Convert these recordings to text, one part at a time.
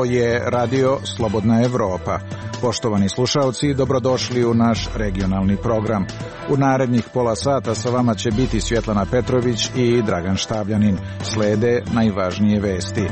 Ovo je Radio Slobodna Evropa. Poštovani slušalci, dobrodošli u naš regionalni program. U narednih pola sata sa vama će biti Svjetlana Petrović i Dragan Štavljanin. Slede najvažnije vesti.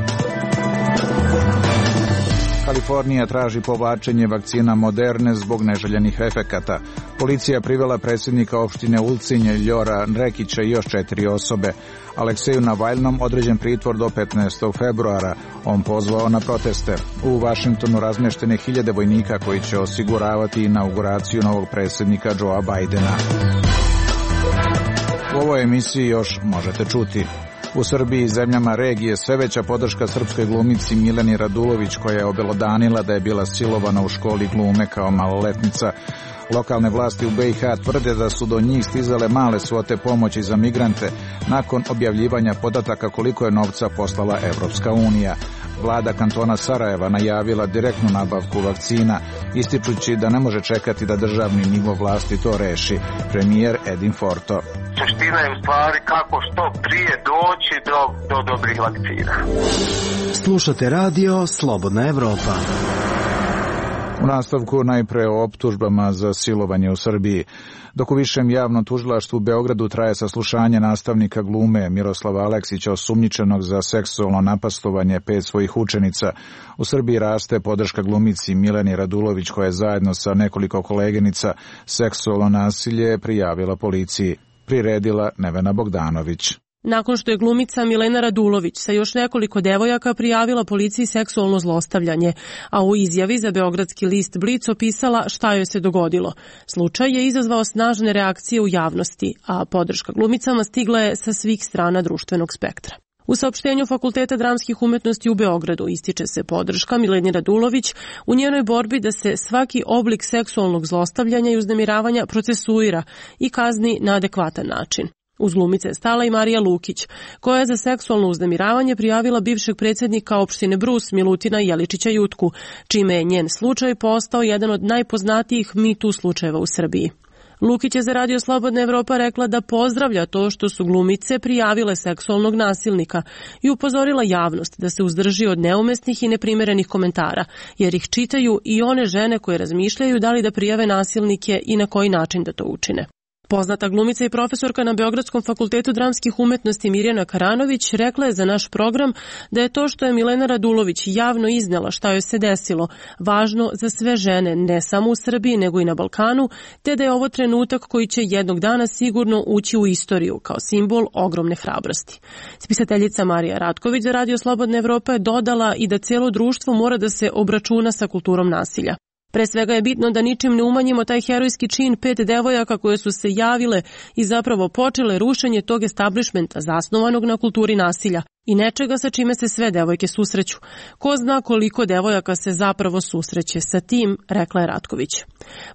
Kalifornija traži povlačenje vakcina Moderne zbog neželjenih efekata. Policija privela predsjednika opštine Ulcinj Ljora Nrekića i još 4 osobe. Alekseju Navalnom određen pritvor do 15. februara. On pozvao na proteste. U Vašingtonu razmještene 1000 vojnika koji će osiguravati inauguraciju novog predsjednika Joea Bidena. U ovoj emisiji još možete čuti. U Srbiji i zemljama regije sve veća podrška srpskoj glumici Mileni Radulović, koja je obelodanila da je bila silovana u školi glume kao maloletnica. Lokalne vlasti u BiH tvrde da su do njih stizale male svote pomoći za migrante nakon objavljivanja podataka koliko je novca poslala Evropska unija. Vlada kantona Sarajeva najavila direktnu nabavku vakcina, ističući da ne može čekati da državni nivo vlasti to reši. Premijer Edin Forto. Suština je u stvari kako što prije doći do dobrih vakcina. Slušate radio Slobodna Evropa. U nastavku najpre o optužbama za silovanje u Srbiji. Dok u Višem javnom tužilaštvu u Beogradu traje saslušanje nastavnika glume Miroslava Aleksića, osumnjičenog za seksualno napastovanje 5 svojih učenica, u Srbiji raste podrška glumici Mileni Radulović, koja je zajedno sa nekoliko koleginica seksualno nasilje prijavila policiji. Priredila Nevena Bogdanović. Nakon što je glumica Milena Radulović sa još nekoliko devojaka prijavila policiji seksualno zlostavljanje, a u izjavi za beogradski list Blic opisala šta joj se dogodilo. Slučaj je izazvao snažne reakcije u javnosti, a podrška glumicama stigla je sa svih strana društvenog spektra. U saopštenju Fakulteta dramskih umetnosti u Beogradu ističe se podrška Mileni Radulović u njenoj borbi da se svaki oblik seksualnog zlostavljanja i uznemiravanja procesuira i kazni na adekvatan način. Uz glumice je stala i Marija Lukić, koja je za seksualno uznemiravanje prijavila bivšeg predsjednika opštine Brus Milutina Jeličića Jutku, čime je njen slučaj postao jedan od najpoznatijih Me Too slučajeva u Srbiji. Lukić je za Radio Slobodna Evropa rekla da pozdravlja to što su glumice prijavile seksualnog nasilnika i upozorila javnost da se uzdrži od neumesnih i neprimerenih komentara, jer ih čitaju i one žene koje razmišljaju da li da prijave nasilnike i na koji način da to učine. Poznata glumica i profesorka na Beogradskom fakultetu dramskih umetnosti Mirjana Karanović rekla je za naš program da je to što je Milena Radulović javno iznela šta joj se desilo važno za sve žene, ne samo u Srbiji nego i na Balkanu, te da je ovo trenutak koji će jednog dana sigurno ući u istoriju kao simbol ogromne hrabrosti. Spisateljica Marija Ratković za Radio Slobodna Evropa je dodala i da cijelo društvo mora da se obračuna sa kulturom nasilja. Pre svega je bitno da ničim ne umanjimo taj herojski čin 5 devojaka koje su se javile i zapravo počele rušenje tog establishmenta zasnovanog na kulturi nasilja i nečega sa čime se sve devojke susreću. Ko zna koliko devojaka se zapravo susreće sa tim, rekla je Ratković.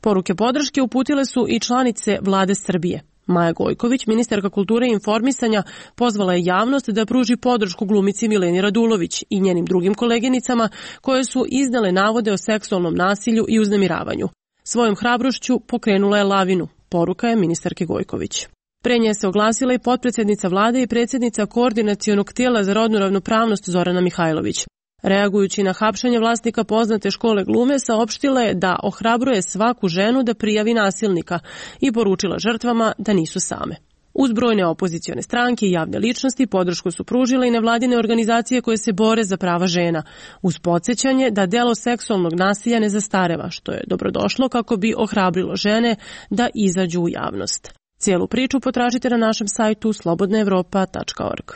Poruke podrške uputile su i članice Vlade Srbije. Maja Gojković, ministarka kulture i informisanja, pozvala je javnost da pruži podršku glumici Mileni Radulović i njenim drugim koleginicama koje su iznale navode o seksualnom nasilju i uznemiravanju. Svojom hrabrošću pokrenula je lavinu, poruka je ministarke Gojković. Pre nje se oglasila i potpredsjednica vlade i predsjednica koordinacionog tijela za rodnu ravnopravnost Zorana Mihajlović. Reagujući na hapšenje vlasnika poznate škole glume, saopštila je da ohrabruje svaku ženu da prijavi nasilnika i poručila žrtvama da nisu same. Uz brojne opozicione stranke i javne ličnosti podršku su pružile i nevladine organizacije koje se bore za prava žena, uz podsjećanje da delo seksualnog nasilja ne zastareva, što je dobrodošlo kako bi ohrabrilo žene da izađu u javnost. Cijelu priču potražite na našem sajtu slobodnaevropa.org.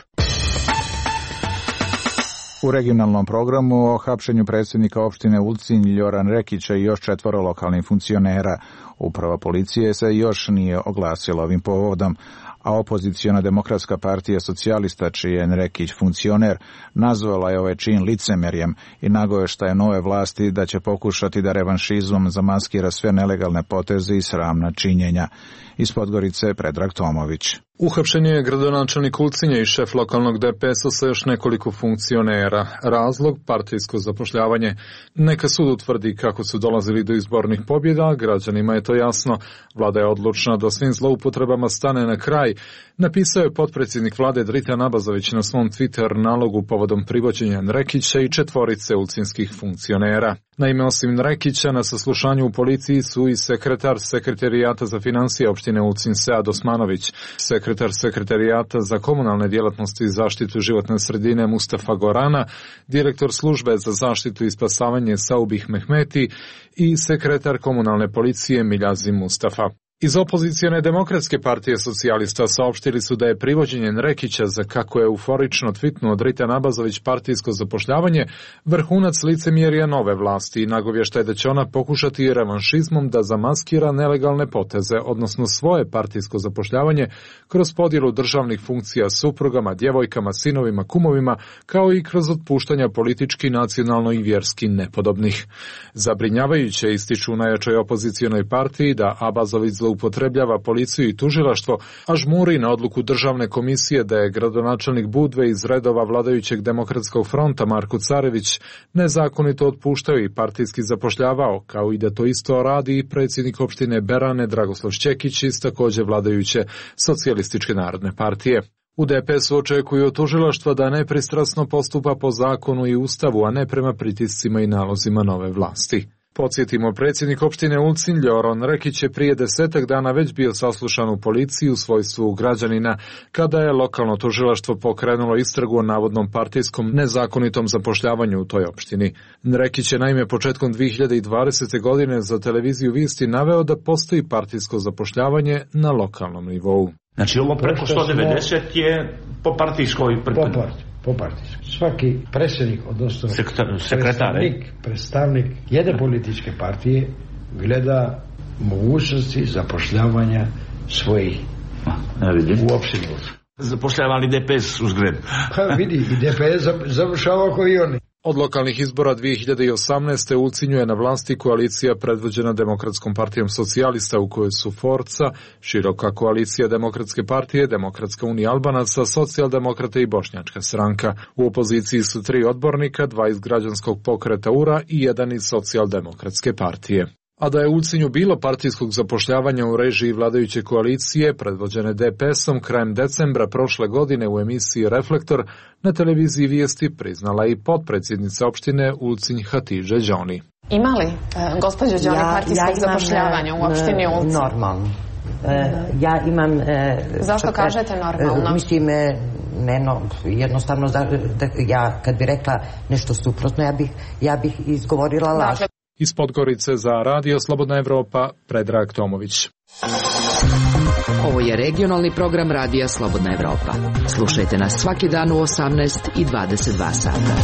U regionalnom programu o hapšenju predsjednika opštine Ulcinj Ljora Nrekića i još 4 lokalnih funkcionera. Uprava policije se još nije oglasila ovim povodom, a opoziciona demokratska partija socijalista, čiji je Nrekić funkcioner, nazvala je ovaj čin licemerjem i nagovešta je nove vlasti da će pokušati da revanšizmom zamaskira sve nelegalne poteze i sramna činjenja. Iz Podgorice Predrag Tomović. Uhapšen je gradonačelnik Ulcinja i šef lokalnog DPS-a sa još nekoliko funkcionera. Razlog, partijsko zapošljavanje. Neka sud utvrdi kako su dolazili do izbornih pobjeda, građanima je to jasno. Vlada je odlučna da svim zloupotrebama stane na kraj, napisao je potpredsjednik vlade Dritan Abazović na svom Twitter nalogu povodom privođenja Nrekića i 4 ulcinskih funkcionera. Naime, osim Nrekića, na saslušanju u policiji su i sekretar Sekretarijata za financije opštine Ulcinj Sead Osmanović, sekretar Sekretarijata za komunalne djelatnosti i zaštitu životne sredine Mustafa Gorana, direktor službe za zaštitu i spasavanje Saubih Mehmeti i sekretar komunalne policije Miljazi Mustafa. Iz opozicijone Demokratske partije socijalista saopštili su da je privođenje Nrekića za, kako je euforično tvitnuo Dritan Abazović, partijsko zapošljavanje vrhunac licemjerja nove vlasti i nagovještaj da će ona pokušati revanšizmom da zamaskira nelegalne poteze, odnosno svoje partijsko zapošljavanje kroz podjelu državnih funkcija suprugama, djevojkama, sinovima, kumovima, kao i kroz otpuštanja politički, nacionalno i vjerski nepodobnih. Zabrinjavajuće ističu u najjačoj opozicionoj partiji da Abazović upotrebljava policiju i tužilaštvo, a žmuri na odluku državne komisije da je gradonačelnik Budve iz redova vladajućeg Demokratskog fronta Marko Carević nezakonito otpuštao i partijski zapošljavao, kao i da to isto radi i predsjednik opštine Berane Dragoslav Šćekić iz također vladajuće Socijalističke narodne partije. U DPS-u očekuju od tužilaštva da nepristrasno postupa po zakonu i ustavu, a ne prema pritiscima i nalozima nove vlasti. Podsjetimo, predsjednik opštine Ulcinj Ljoron Nrekić je prije 10 dana već bio saslušan u policiji u svojstvu građanina, kada je lokalno tužilaštvo pokrenulo istragu o navodnom partijskom nezakonitom zapošljavanju u toj opštini. Nrekić je naime početkom 2020. godine za televiziju Visti naveo da postoji partijsko zapošljavanje na lokalnom nivou. Znači ovo preko 190 je po partijskoj po partijskoj. Svaki predsjednik, odnosno predstavnik jedne političke partije gleda mogućnosti zapošljavanja svojih u opštini. Zapošljavali DPS uz Greb. Pa vidi, i DPS završava kao i oni. Od lokalnih izbora 2018. u Ulcinju je na vlasti koalicija predvođena Demokratskom partijom socijalista, u kojoj su Forca, široka koalicija Demokratske partije, Demokratska unija Albanaca, Socijaldemokrate i Bošnjačka stranka. U opoziciji su 3 odbornika, 2 iz građanskog pokreta URA i 1 iz Socijaldemokratske partije. A da je u Ulcinju bilo partijskog zapošljavanja u režiji vladajuće koalicije, predvođene DPS-om, krajem decembra prošle godine u emisiji Reflektor na televiziji Vijesti priznala i potpredsjednica opštine Ulcinj Hatidže Đoni. Ima li, gospođo Đoni, partijskog zapošljavanja u opštini Ulcinj? Normalno. Ja imam... Zašto kažete normalno? Mislim, jednostavno, ja kad bi rekla nešto suprotno, ja bih izgovorila laž. Iz Podgorice za Radio Slobodna Evropa, Predrag Tomović. Ovo je regionalni program Radija Slobodna Evropa. Slušajte nas svaki dan u 18 i 22 sata.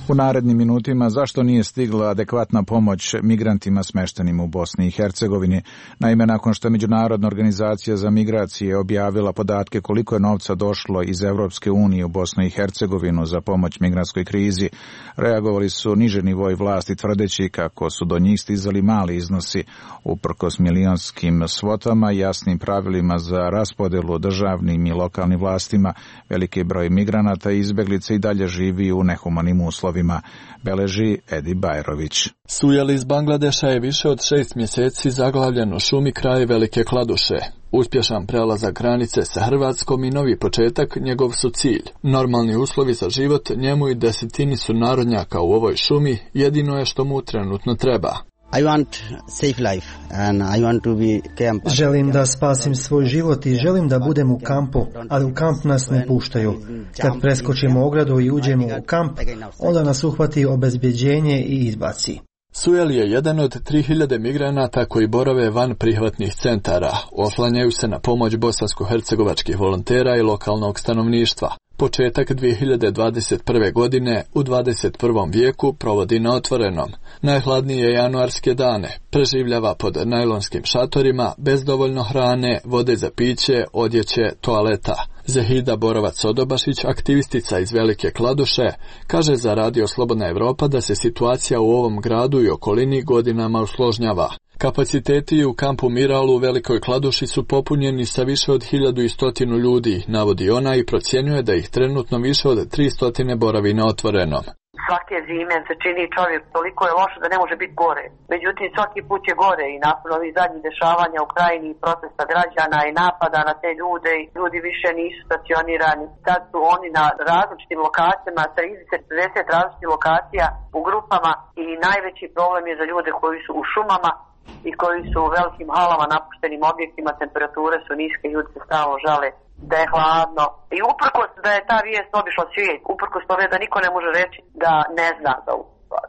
U narednim minutima zašto nije stigla adekvatna pomoć migrantima smeštenim u Bosni i Hercegovini. Naime, nakon što je Međunarodna organizacija za migracije objavila podatke koliko je novca došlo iz Evropske unije u Bosnu i Hercegovinu za pomoć migrantskoj krizi, reagovali su niže nivoi vlasti tvrdeći kako su do njih stizali mali iznosi uprkos milionskim svotama i jasnim pravilima za raspodelu državnim i lokalnim vlastima. Veliki broj migranata i izbeglica i dalje živi u nehumanim uslovima, beleži Edi Bajrović. Sujel iz Bangladeša je više od 6 mjeseci zaglavljen u šumi kraj Velike Kladuše. Uspješan prelazak granice sa Hrvatskom i novi početak njegov su cilj. Normalni uslovi za život njemu i desetini su narodnjaka u ovoj šumi jedino je što mu trenutno treba. Želim da spasim svoj život i želim da budem u kampu, ali u kamp nas ne puštaju. Kad preskočimo ogradu i uđemo u kamp, onda nas uhvati obezbjeđenje i izbaci. Sujel je jedan od 3000 migranata koji borave van prihvatnih centara. Oslanjaju se na pomoć bosansko-hercegovačkih volontera i lokalnog stanovništva. Početak 2021. godine u 21. vijeku provodi na otvorenom. Najhladnije januarske dane preživljava pod najlonskim šatorima, bez dovoljno hrane, vode za piće, odjeće, toaleta. Zehida Borovac-Odobašić, aktivistica iz Velike Kladuše, kaže za Radio Slobodna Evropa da se situacija u ovom gradu i okolini godinama usložnjava. Kapaciteti u kampu Miral u Velikoj Kladuši su popunjeni sa više od 1100 ljudi, navodi ona i procjenjuje da ih trenutno više od 300 boravi na otvorenom. Svake zime se čini čovjek toliko je loše da ne može biti gore. Međutim, svaki put je gore i nakon ovih zadnjih dešavanja u krajini i protesta građana i napada na te ljude i ljudi više nisu stacionirani. Sad su oni na različitim lokacijama, sa 30 različitih lokacija u grupama i najveći problem je za ljude koji su u šumama i koji su u velikim halama, napuštenim objektima, temperature su niske, ljudi se stalno žale da je hladno. I uprkos da je ta vijest obišla svijet, uprkos tome da niko ne može reći da ne zna za ovu stvar.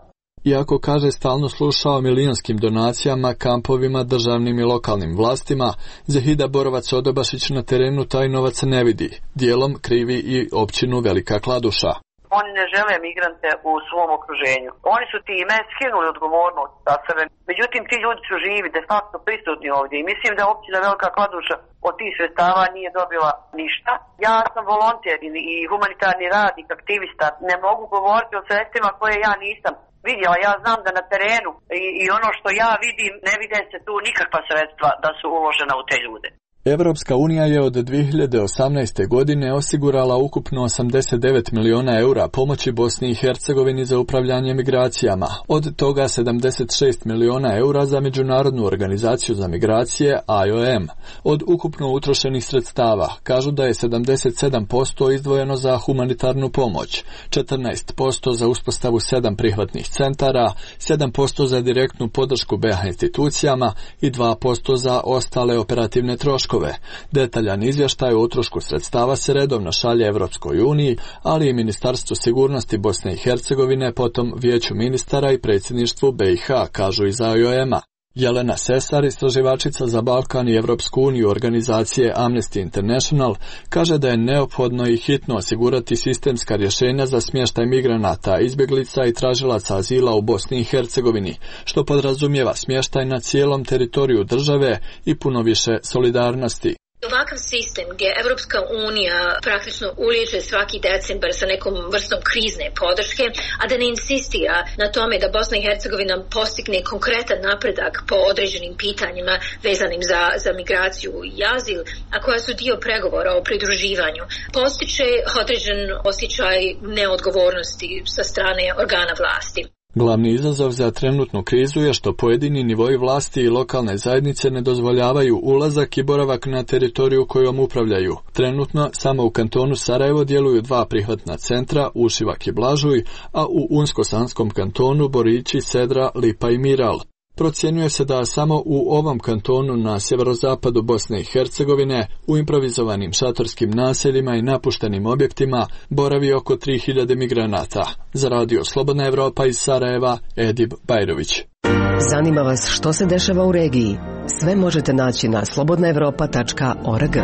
Iako, kaže, stalno sluša o milionskim donacijama, kampovima, državnim i lokalnim vlastima, Zahida Borovac-Odobašić na terenu taj novac ne vidi. Dijelom krivi i općinu Velika Kladuša. Oni ne žele migrante u svom okruženju. Oni su time skinuli odgovornost sa sebe. Međutim, ti ljudi su živi, de facto prisutni ovdje. I mislim da općina Velika Kladuša od tih sredstava nije dobila ništa. Ja sam volonter i humanitarni radnik, aktivista. Ne mogu govoriti o sredstvima koje ja nisam vidjela. Ja znam da na terenu i ono što ja vidim, ne vide se tu nikakva sredstva da su uložena u te ljude. Evropska unija je od 2018. godine osigurala ukupno 89 miliona eura pomoći Bosni i Hercegovini za upravljanje migracijama, od toga 76 miliona eura za Međunarodnu organizaciju za migracije IOM. Od ukupno utrošenih sredstava kažu da je 77% izdvojeno za humanitarnu pomoć, 14% za uspostavu 7 prihvatnih centara, 7% za direktnu podršku BiH institucijama i 2% za ostale operativne troškove. Detaljan izvještaj o utrošku sredstava se redovno šalje Evropskoj uniji, ali i Ministarstvu sigurnosti Bosne i Hercegovine, potom Vijeću ministara i predsjedništvu BiH, kažu iz IOM-a. Jelena Sesar, istraživačica za Balkan i Evropsku uniju organizacije Amnesty International, kaže da je neophodno i hitno osigurati sistemska rješenja za smještaj migranata, izbjeglica i tražilaca azila u Bosni i Hercegovini, što podrazumijeva smještaj na cijelom teritoriju države i puno više solidarnosti. Ovakav sistem gdje Evropska unija praktično uliježe svaki decembar sa nekom vrstom krizne podrške, a da ne insistira na tome da Bosna i Hercegovina postigne konkretan napredak po određenim pitanjima vezanim za migraciju i azil, a koja su dio pregovora o pridruživanju, postiče određen osjećaj neodgovornosti sa strane organa vlasti. Glavni izazov za trenutnu krizu je što pojedini nivoi vlasti i lokalne zajednice ne dozvoljavaju ulazak i boravak na teritoriju kojom upravljaju. Trenutno samo u kantonu Sarajevo djeluju 2 prihvatna centra, Ušivak i Blažuj, a u Unsko-Sanskom kantonu Borići, Sedra, Lipa i Miral. Procjenjuje se da samo u ovom kantonu na sjeverozapadu Bosne i Hercegovine, u improvizovanim šatorskim naseljima i napuštenim objektima, boravi oko 3000 migranata. Za radio Slobodna Evropa iz Sarajeva, Edib Bajrović. Zanima vas što se dešava u regiji? Sve možete naći na slobodnaevropa.org.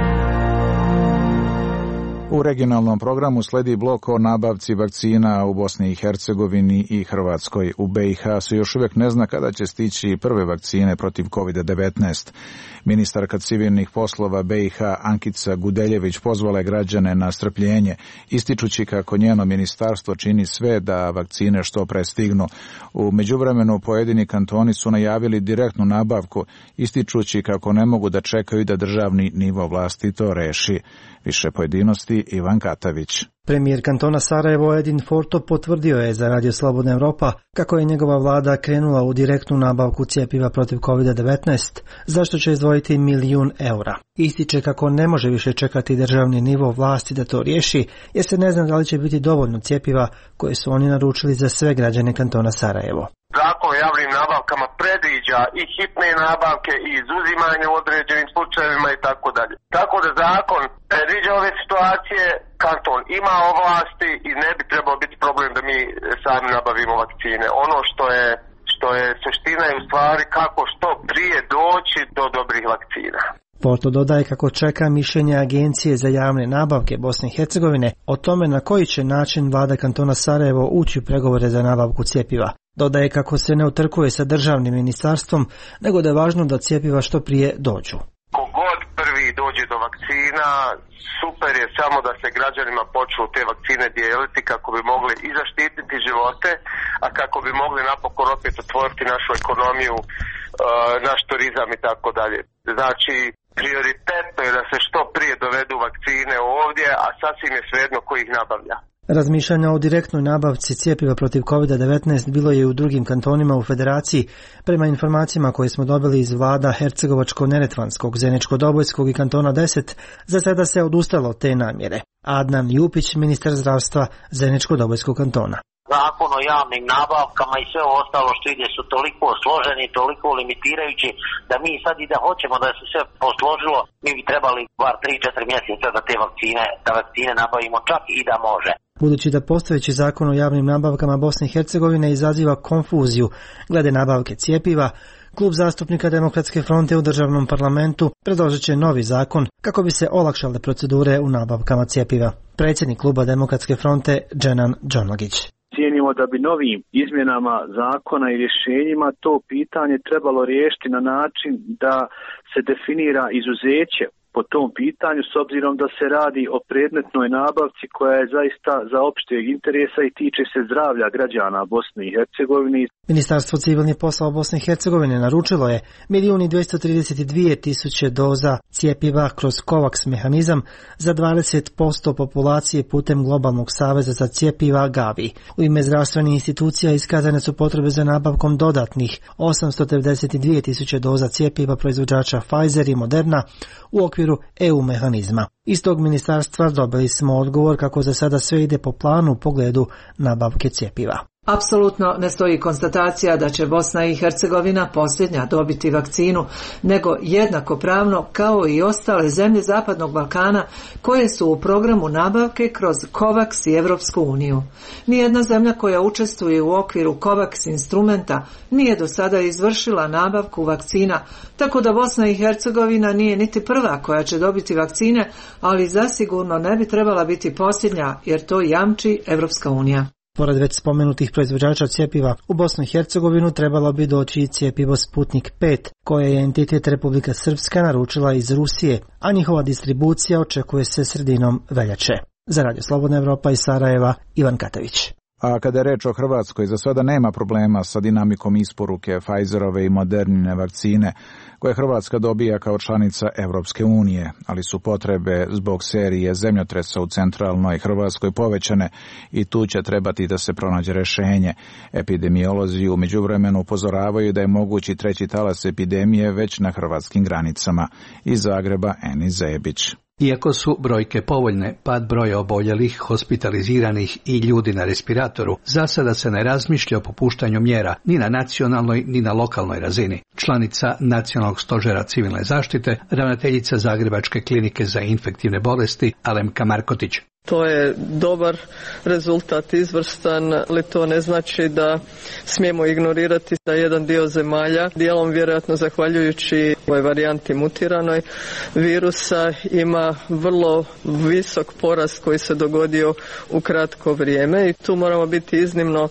U regionalnom programu sledi blok o nabavci vakcina u Bosni i Hercegovini i Hrvatskoj. U BiH se još uvijek ne zna kada će stići prve vakcine protiv COVID-19. Ministarka civilnih poslova BiH Ankica Gudeljević pozvala je građane na strpljenje, ističući kako njeno ministarstvo čini sve da vakcine što pre stignu. U međuvremenu pojedini kantoni su najavili direktnu nabavku, ističući kako ne mogu da čekaju da državni nivo vlasti to reši. Više pojedinosti Ivan Katavić. Premijer kantona Sarajevo Edin Forto potvrdio je za Radio Slobodna Evropa kako je njegova vlada krenula u direktnu nabavku cjepiva protiv COVID-19, zašto će izdvojiti 1 milijun eura. Ističe kako ne može više čekati državni nivo vlasti da to riješi, jer se ne zna da li će biti dovoljno cjepiva koje su oni naručili za sve građane kantona Sarajevo. Zakon o javnim nabavkama predviđa i hitne nabavke i izuzimanje u određenim slučajevima i tako dalje. Tako da zakon predviđa ove situacije, kanton ima ovlasti i ne bi trebao biti problem da mi sami nabavimo vakcine. Ono što je suština je u stvari kako što prije doći do dobrih vakcina. Porto dodaje kako čeka mišljenje Agencije za javne nabavke Bosne i Hercegovine o tome na koji će način vlada kantona Sarajevo ući u pregovore za nabavku cjepiva. Dodaje kako se ne utrkuje sa državnim ministarstvom, nego da je važno da cjepiva što prije dođu. Kogod prvi dođe do vakcina, super je samo da se građanima počnu te vakcine dijeliti kako bi mogli i zaštititi živote, a kako bi mogli napokon opet otvoriti našu ekonomiju naš turizam i tako dalje. Znači, prioritetno je da se što prije dovedu vakcine ovdje, a sasvim je svejedno ko ih nabavlja. Razmišljanja o direktnoj nabavci cjepiva protiv COVID-19 bilo je i u drugim kantonima u federaciji. Prema informacijama koje smo dobili iz vlada Hercegovačko-Neretvanskog, Zeničko-Dobojskog i kantona 10, za sada se odustalo od te namjere. Adnan Jupić, ministar zdravstva Zeničko-Dobojskog kantona. Zakon o javnim nabavkama i sve ostalo što ide su toliko složeni, toliko limitirajući da mi sad i da hoćemo da se sve posložilo, mi bi trebali bar 3-4 mjeseca da te vakcine nabavimo čak i da može. Budući da postojeći zakon o javnim nabavkama Bosne i Hercegovine izaziva konfuziju glede nabavke cjepiva, Klub zastupnika Demokratske fronte u državnom parlamentu predložit će novi zakon kako bi se olakšale procedure u nabavkama cjepiva. Predsjednik Kluba Demokratske fronte Dženan Džonlagić. Cijenimo da bi novim izmjenama zakona i rješenjima to pitanje trebalo riješiti na način da se definira izuzeće po tom pitanju, s obzirom da se radi o predmetnoj nabavci koja je zaista za opšteg interesa i tiče se zdravlja građana Bosne i Hercegovine. Ministarstvo civilnih poslova Bosne i Hercegovine naručilo je 1.232.000 doza cjepiva kroz COVAX mehanizam za 20% populacije putem Globalnog saveza za cjepiva Gavi. U ime zdravstvenih institucija iskazane su potrebe za nabavkom dodatnih 892.000 doza cjepiva proizvođača Pfizer i Moderna u okviru EU mehanizma. Iz tog ministarstva dobili smo odgovor kako za sada sve ide po planu u pogledu nabavke cjepiva. Apsolutno ne stoji konstatacija da će Bosna i Hercegovina posljednja dobiti vakcinu, nego jednakopravno kao i ostale zemlje Zapadnog Balkana koje su u programu nabavke kroz COVAX i Europsku uniju. Nijedna zemlja koja učestvuje u okviru COVAX instrumenta nije do sada izvršila nabavku vakcina, tako da Bosna i Hercegovina nije niti prva koja će dobiti vakcine, ali zasigurno ne bi trebala biti posljednja jer to jamči Europska unija. Pored već spomenutih proizvođača cjepiva, u Bosnu i Hercegovinu trebalo bi doći i cjepivo Sputnik 5, koje je entitet Republika Srpska naručila iz Rusije, a njihova distribucija očekuje se sredinom veljače. Za Radio Slobodna Evropa iz Sarajeva, Ivan Katavić. A kada je reč o Hrvatskoj, za sada nema problema sa dinamikom isporuke Pfizerove i Modernine vakcine, koje Hrvatska dobija kao članica Evropske unije, ali su potrebe zbog serije zemljotresa u centralnoj Hrvatskoj povećane i tu će trebati da se pronađe rješenje. Epidemiolozi u međuvremenu upozoravaju da je mogući treći talas epidemije već na hrvatskim granicama. Iz Zagreba, Enis Zebić. Iako su brojke povoljne, pad broja oboljelih, hospitaliziranih i ljudi na respiratoru, za sada se ne razmišlja o popuštanju mjera ni na nacionalnoj ni na lokalnoj razini. Članica Nacionalnog stožera civilne zaštite, ravnateljica Zagrebačke klinike za infektivne bolesti Alemka Markotić. To je dobar rezultat, izvrstan, ali to ne znači da smijemo ignorirati da jedan dio zemalja, dijelom vjerojatno zahvaljujući ovoj varijanti mutiranoj virusa, ima vrlo visok porast koji se dogodio u kratko vrijeme i tu moramo biti iznimno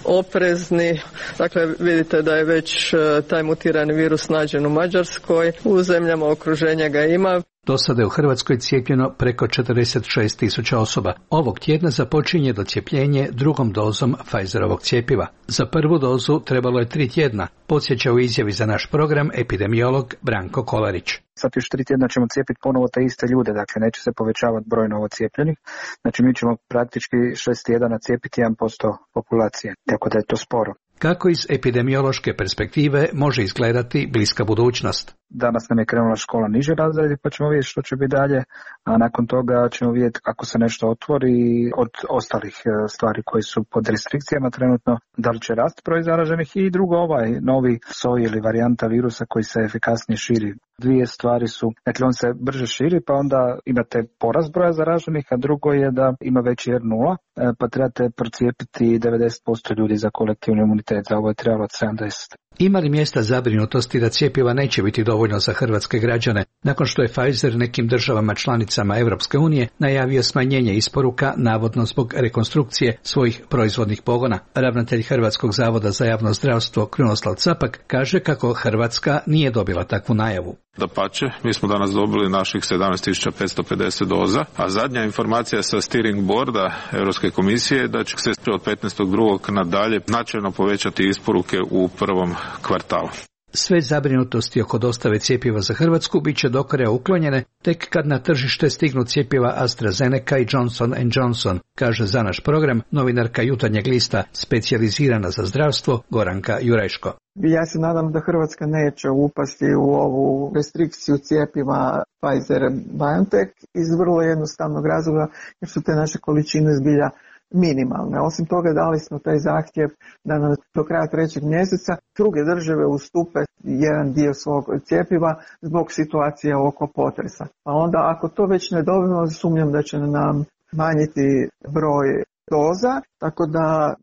oprezni. Dakle, vidite da je već taj mutirani virus nađen u Mađarskoj, u zemljama okruženja ga ima. Do sada je u Hrvatskoj cijepljeno preko 46.000 osoba. Ovog tjedna započinje docijepljenje drugom dozom Pfizerovog cjepiva. Za prvu dozu trebalo je 3 tjedna, podsjeća u izjavi za naš program epidemiolog Branko Kolarić. Sad još 3 tjedna ćemo cijepiti ponovo te iste ljude, dakle neće se povećavati broj novocijepljenih. Znači mi ćemo praktički 6 tjedana cijepiti 1% populacije, tako da je to sporo. Kako iz epidemiološke perspektive može izgledati bliska budućnost? Danas nam je krenula škola niže razredi pa ćemo vidjeti što će biti dalje, a nakon toga ćemo vidjeti ako se nešto otvori od ostalih stvari koji su pod restrikcijama trenutno, da li će rast broj zaraženih i drugo ovaj novi soj ili varijanta virusa koji se efikasnije širi. Dvije stvari su, dakle on se brže širi pa onda imate porast broja zaraženih, a drugo je da ima veći R0 pa trebate procijepiti 90% ljudi za kolektivni imunitet, za ovo je trebalo 70. Ima li mjesta zabrinutosti da cjepiva neće biti dovoljno za hrvatske građane, nakon što je Pfizer nekim državama članicama Europske unije najavio smanjenje isporuka, navodno zbog rekonstrukcije svojih proizvodnih pogona? Ravnatelj Hrvatskog zavoda za javno zdravstvo Krunoslav Capak kaže kako Hrvatska nije dobila takvu najavu. Dapače, mi smo danas dobili naših 17.550 doza, a zadnja informacija sa steering boarda Europske komisije je da će se od 15.2. nadalje značajno povećati isporuke u prvom kvartalu. Sve zabrinutosti oko dostave cjepiva za Hrvatsku bit će do kraja uklonjene tek kad na tržište stignu cjepiva AstraZeneca i Johnson & Johnson, kaže za naš program novinarka Jutarnjeg lista specijalizirana za zdravstvo Goranka Jurajško. Ja se nadam da Hrvatska neće upasti u ovu restrikciju cjepiva Pfizer-BioNTech iz vrlo jednostavnog razloga jer su te naše količine zbilja minimalne. Osim toga dali smo taj zahtjev da nam do kraja 3. mjeseca druge države ustupe jedan dio svog cjepiva zbog situacije oko potresa. Pa onda ako to već ne dobijemo, sumnjam da će nam manjiti broj doza, tako da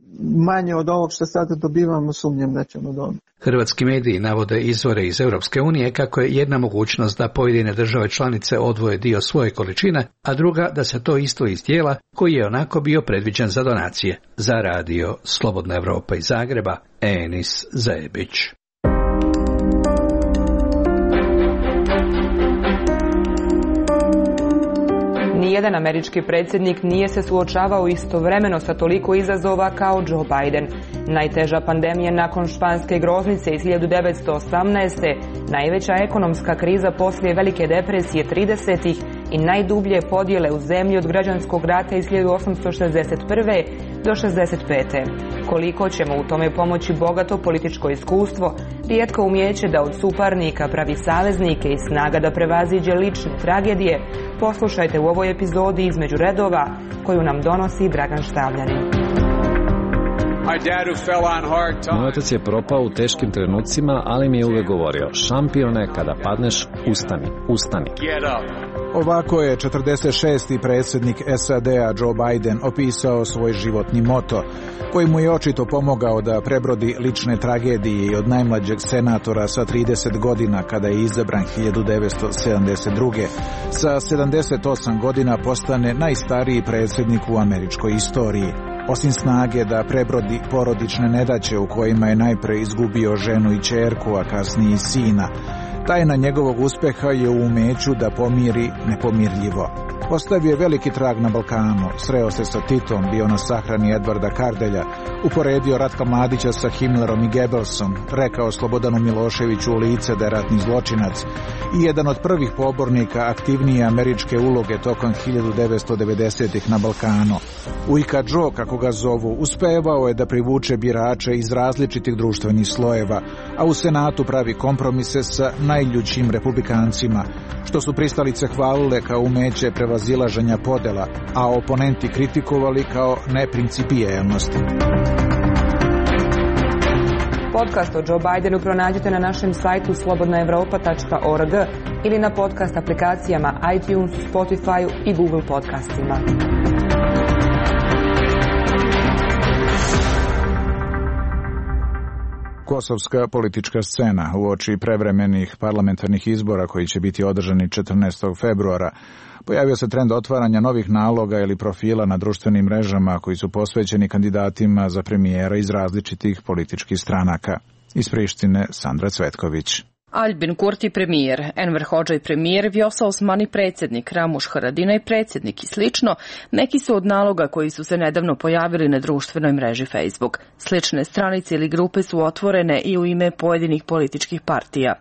manje od ovog što sada dobivamo sumnjam da ćemo dobiti. Hrvatski mediji navode izvore iz Europske unije kako je jedna mogućnost da pojedine države članice odvoje dio svoje količine, a druga da se to isto iz dijela koji je onako bio predviđen za donacije. Za radio Slobodna Evropa iz Zagreba, Enis Zebić. Nijedan američki predsjednik nije se suočavao istovremeno sa toliko izazova kao Joe Biden. Najteža pandemija nakon španske groznice iz 1918. Najveća ekonomska kriza poslije Velike depresije 30-ih i najdublje podjele u zemlji od građanskog rata iz 1861. do 65. Koliko ćemo u tome pomoći bogato političko iskustvo, rijetko umijeće da od suparnika pravi saveznike i snaga da prevaziđe lične tragedije, poslušajte u ovoj epizodi Između redova koju nam donosi Dragan Štavljanin. Moj otac je propao u teškim trenucima, ali mi je uvijek govorio: šampione, kada padneš, ustani, ustani. Ovako je 46. predsjednik SAD-a Joe Biden opisao svoj životni moto, koji mu je očito pomogao da prebrodi lične tragedije i od najmlađeg senatora sa 30 godina kada je izabran 1972. sa 78 godina postane najstariji predsjednik u američkoj istoriji. Osim snage da prebrodi porodične nedaće u kojima je najpre izgubio ženu i ćerku, a kasnije i sina, tajna njegovog uspjeha je u umeću da pomiri nepomirljivo. Ostavio je veliki trag na Balkanu, sreo se sa Titom, bio na sahrani Edvarda Kardelja, uporedio Ratka Mladića sa Himmlerom i Goebbelsom, rekao Slobodanu Miloševiću u lice da je ratni zločinac i jedan od prvih pobornika aktivnije američke uloge tokom 1990-ih na Balkanu. Ujka Joe, kako ga zovu, uspevao je da privuče birače iz različitih društvenih slojeva, a u Senatu pravi kompromise sa najljućim republikancima, što su pristalice hvalile kao umeće prevazilaženja podela, a oponenti kritikovali kao neprincipijelnost. Podcast o Joe Bidenu pronađite na našem sajtu slobodnaevropa.org ili na podcast aplikacijama iTunes, Spotify i Google podcastima. Kosovska politička scena uoči prevremenih parlamentarnih izbora koji će biti održani 14. februara. Pojavio se trend otvaranja novih naloga ili profila na društvenim mrežama koji su posvećeni kandidatima za premijera iz različitih političkih stranaka. Iz Prištine Sandra Cvetković. Albin Kurti premijer, Enver Hodžaj premijer, Vjosa Osmani predsjednik, Ramuš Haradinaj predsjednik i slično, neki su od naloga koji su se nedavno pojavili na društvenoj mreži Facebook. Slične stranice ili grupe su otvorene i u ime pojedinih političkih partija.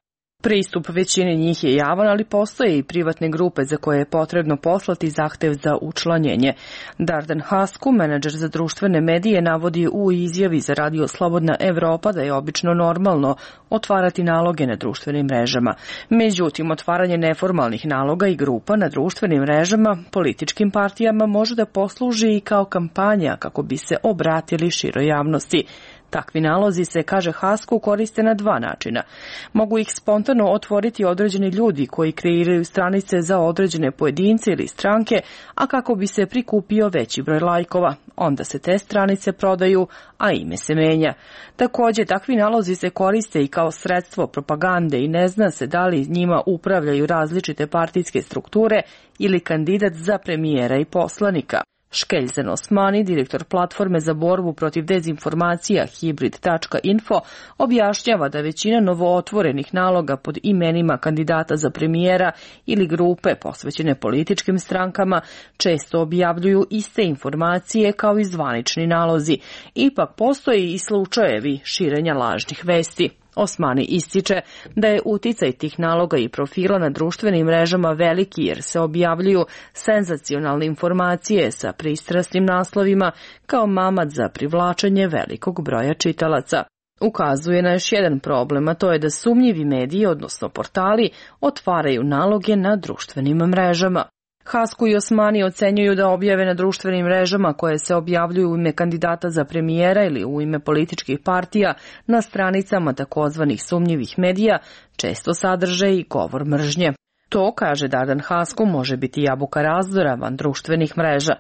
Pristup većini njih je javan, ali postoje i privatne grupe za koje je potrebno poslati zahtev za učlanjenje. Dardan Hasku, menadžer za društvene medije, navodi u izjavi za radio Slobodna Evropa da je obično normalno otvarati naloge na društvenim mrežama. Međutim, otvaranje neformalnih naloga i grupa na društvenim mrežama političkim partijama može da posluži i kao kampanja kako bi se obratili široj javnosti. Takvi nalozi se, kaže Hasku, koriste na dva načina. Mogu ih spontano otvoriti određeni ljudi koji kreiraju stranice za određene pojedince ili stranke, a kako bi se prikupio veći broj lajkova. Onda se te stranice prodaju, a ime se menja. Također, takvi nalozi se koriste i kao sredstvo propagande i ne zna se da li njima upravljaju različite partijske strukture ili kandidat za premijera i poslanika. Škeljzen Osmani, direktor platforme za borbu protiv dezinformacija Hibrid.info, objašnjava da većina novootvorenih naloga pod imenima kandidata za premijera ili grupe posvećene političkim strankama često objavljuju iste informacije kao i zvanični nalozi. Ipak postoje i slučajevi širenja lažnih vesti. Osmani ističe da je uticaj tih naloga i profila na društvenim mrežama veliki jer se objavljuju senzacionalne informacije sa pristrasnim naslovima kao mamac za privlačenje velikog broja čitalaca. Ukazuje na još jedan problem, a to je da sumnjivi mediji, odnosno portali, otvaraju naloge na društvenim mrežama. Hasku i Osmani ocenjuju da objave na društvenim mrežama koje se objavljuju u ime kandidata za premijera ili u ime političkih partija na stranicama takozvanih sumnjivih medija često sadrže i govor mržnje. To, kaže Dardan Hasku, može biti jabuka razdora van društvenih mreža.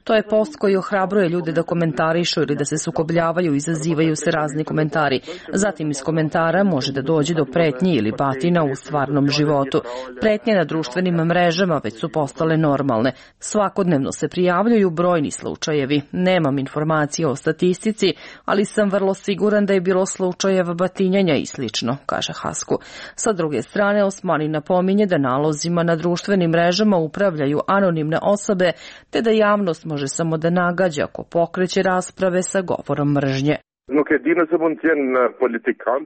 To je post koji ohrabruje ljude da komentarišu ili da se sukobljavaju i izazivaju se razni komentari. Zatim iz komentara može da dođe do pretnji ili batina u stvarnom životu. Pretnje na društvenim mrežama već su postale normalne. Svakodnevno se prijavljuju brojni slučajevi. Nemam informacije o statistici, ali sam vrlo siguran da je bilo slučajeva batinjanja i slično, kaže Hasku. Sa druge strane, Osmani napominje da nalozima na društvenim mrežama upravljaju anonimne osobe, te da javnost može samo da nagađa ako pokreće rasprave sa govorom mržnje.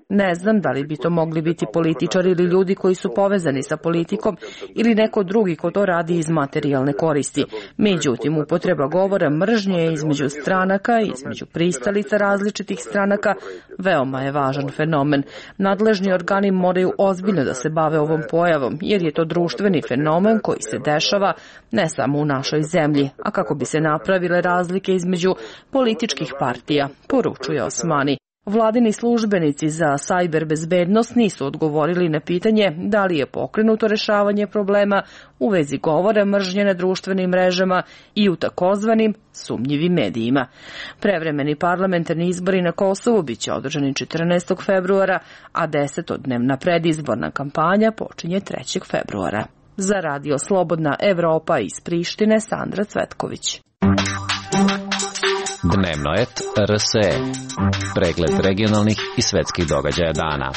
Ne znam da li bi to mogli biti političari ili ljudi koji su povezani sa politikom ili neko drugi ko to radi iz materijalne koristi. Međutim, upotreba govora mržnje između stranaka i između pristalica različitih stranaka veoma je važan fenomen. Nadležni organi moraju ozbiljno da se bave ovom pojavom, jer je to društveni fenomen koji se dešava ne samo u našoj zemlji, a kako bi se napravile razlike između političkih partija, poručuje Osmani. Vladini službenici za sajber bezbednost nisu odgovorili na pitanje da li je pokrenuto rešavanje problema u vezi govora mržnje na društvenim mrežama i u takozvanim sumnjivim medijima. Prevremeni parlamentarni izbori na Kosovu biće održani 14. februara, a 10-dnevna predizborna kampanja počinje 3. februara. Za Radio Slobodna Evropa iz Prištine, Sandra Cvetković. Dnevnoet RSE. Pregled regionalnih i svetskih događaja dana.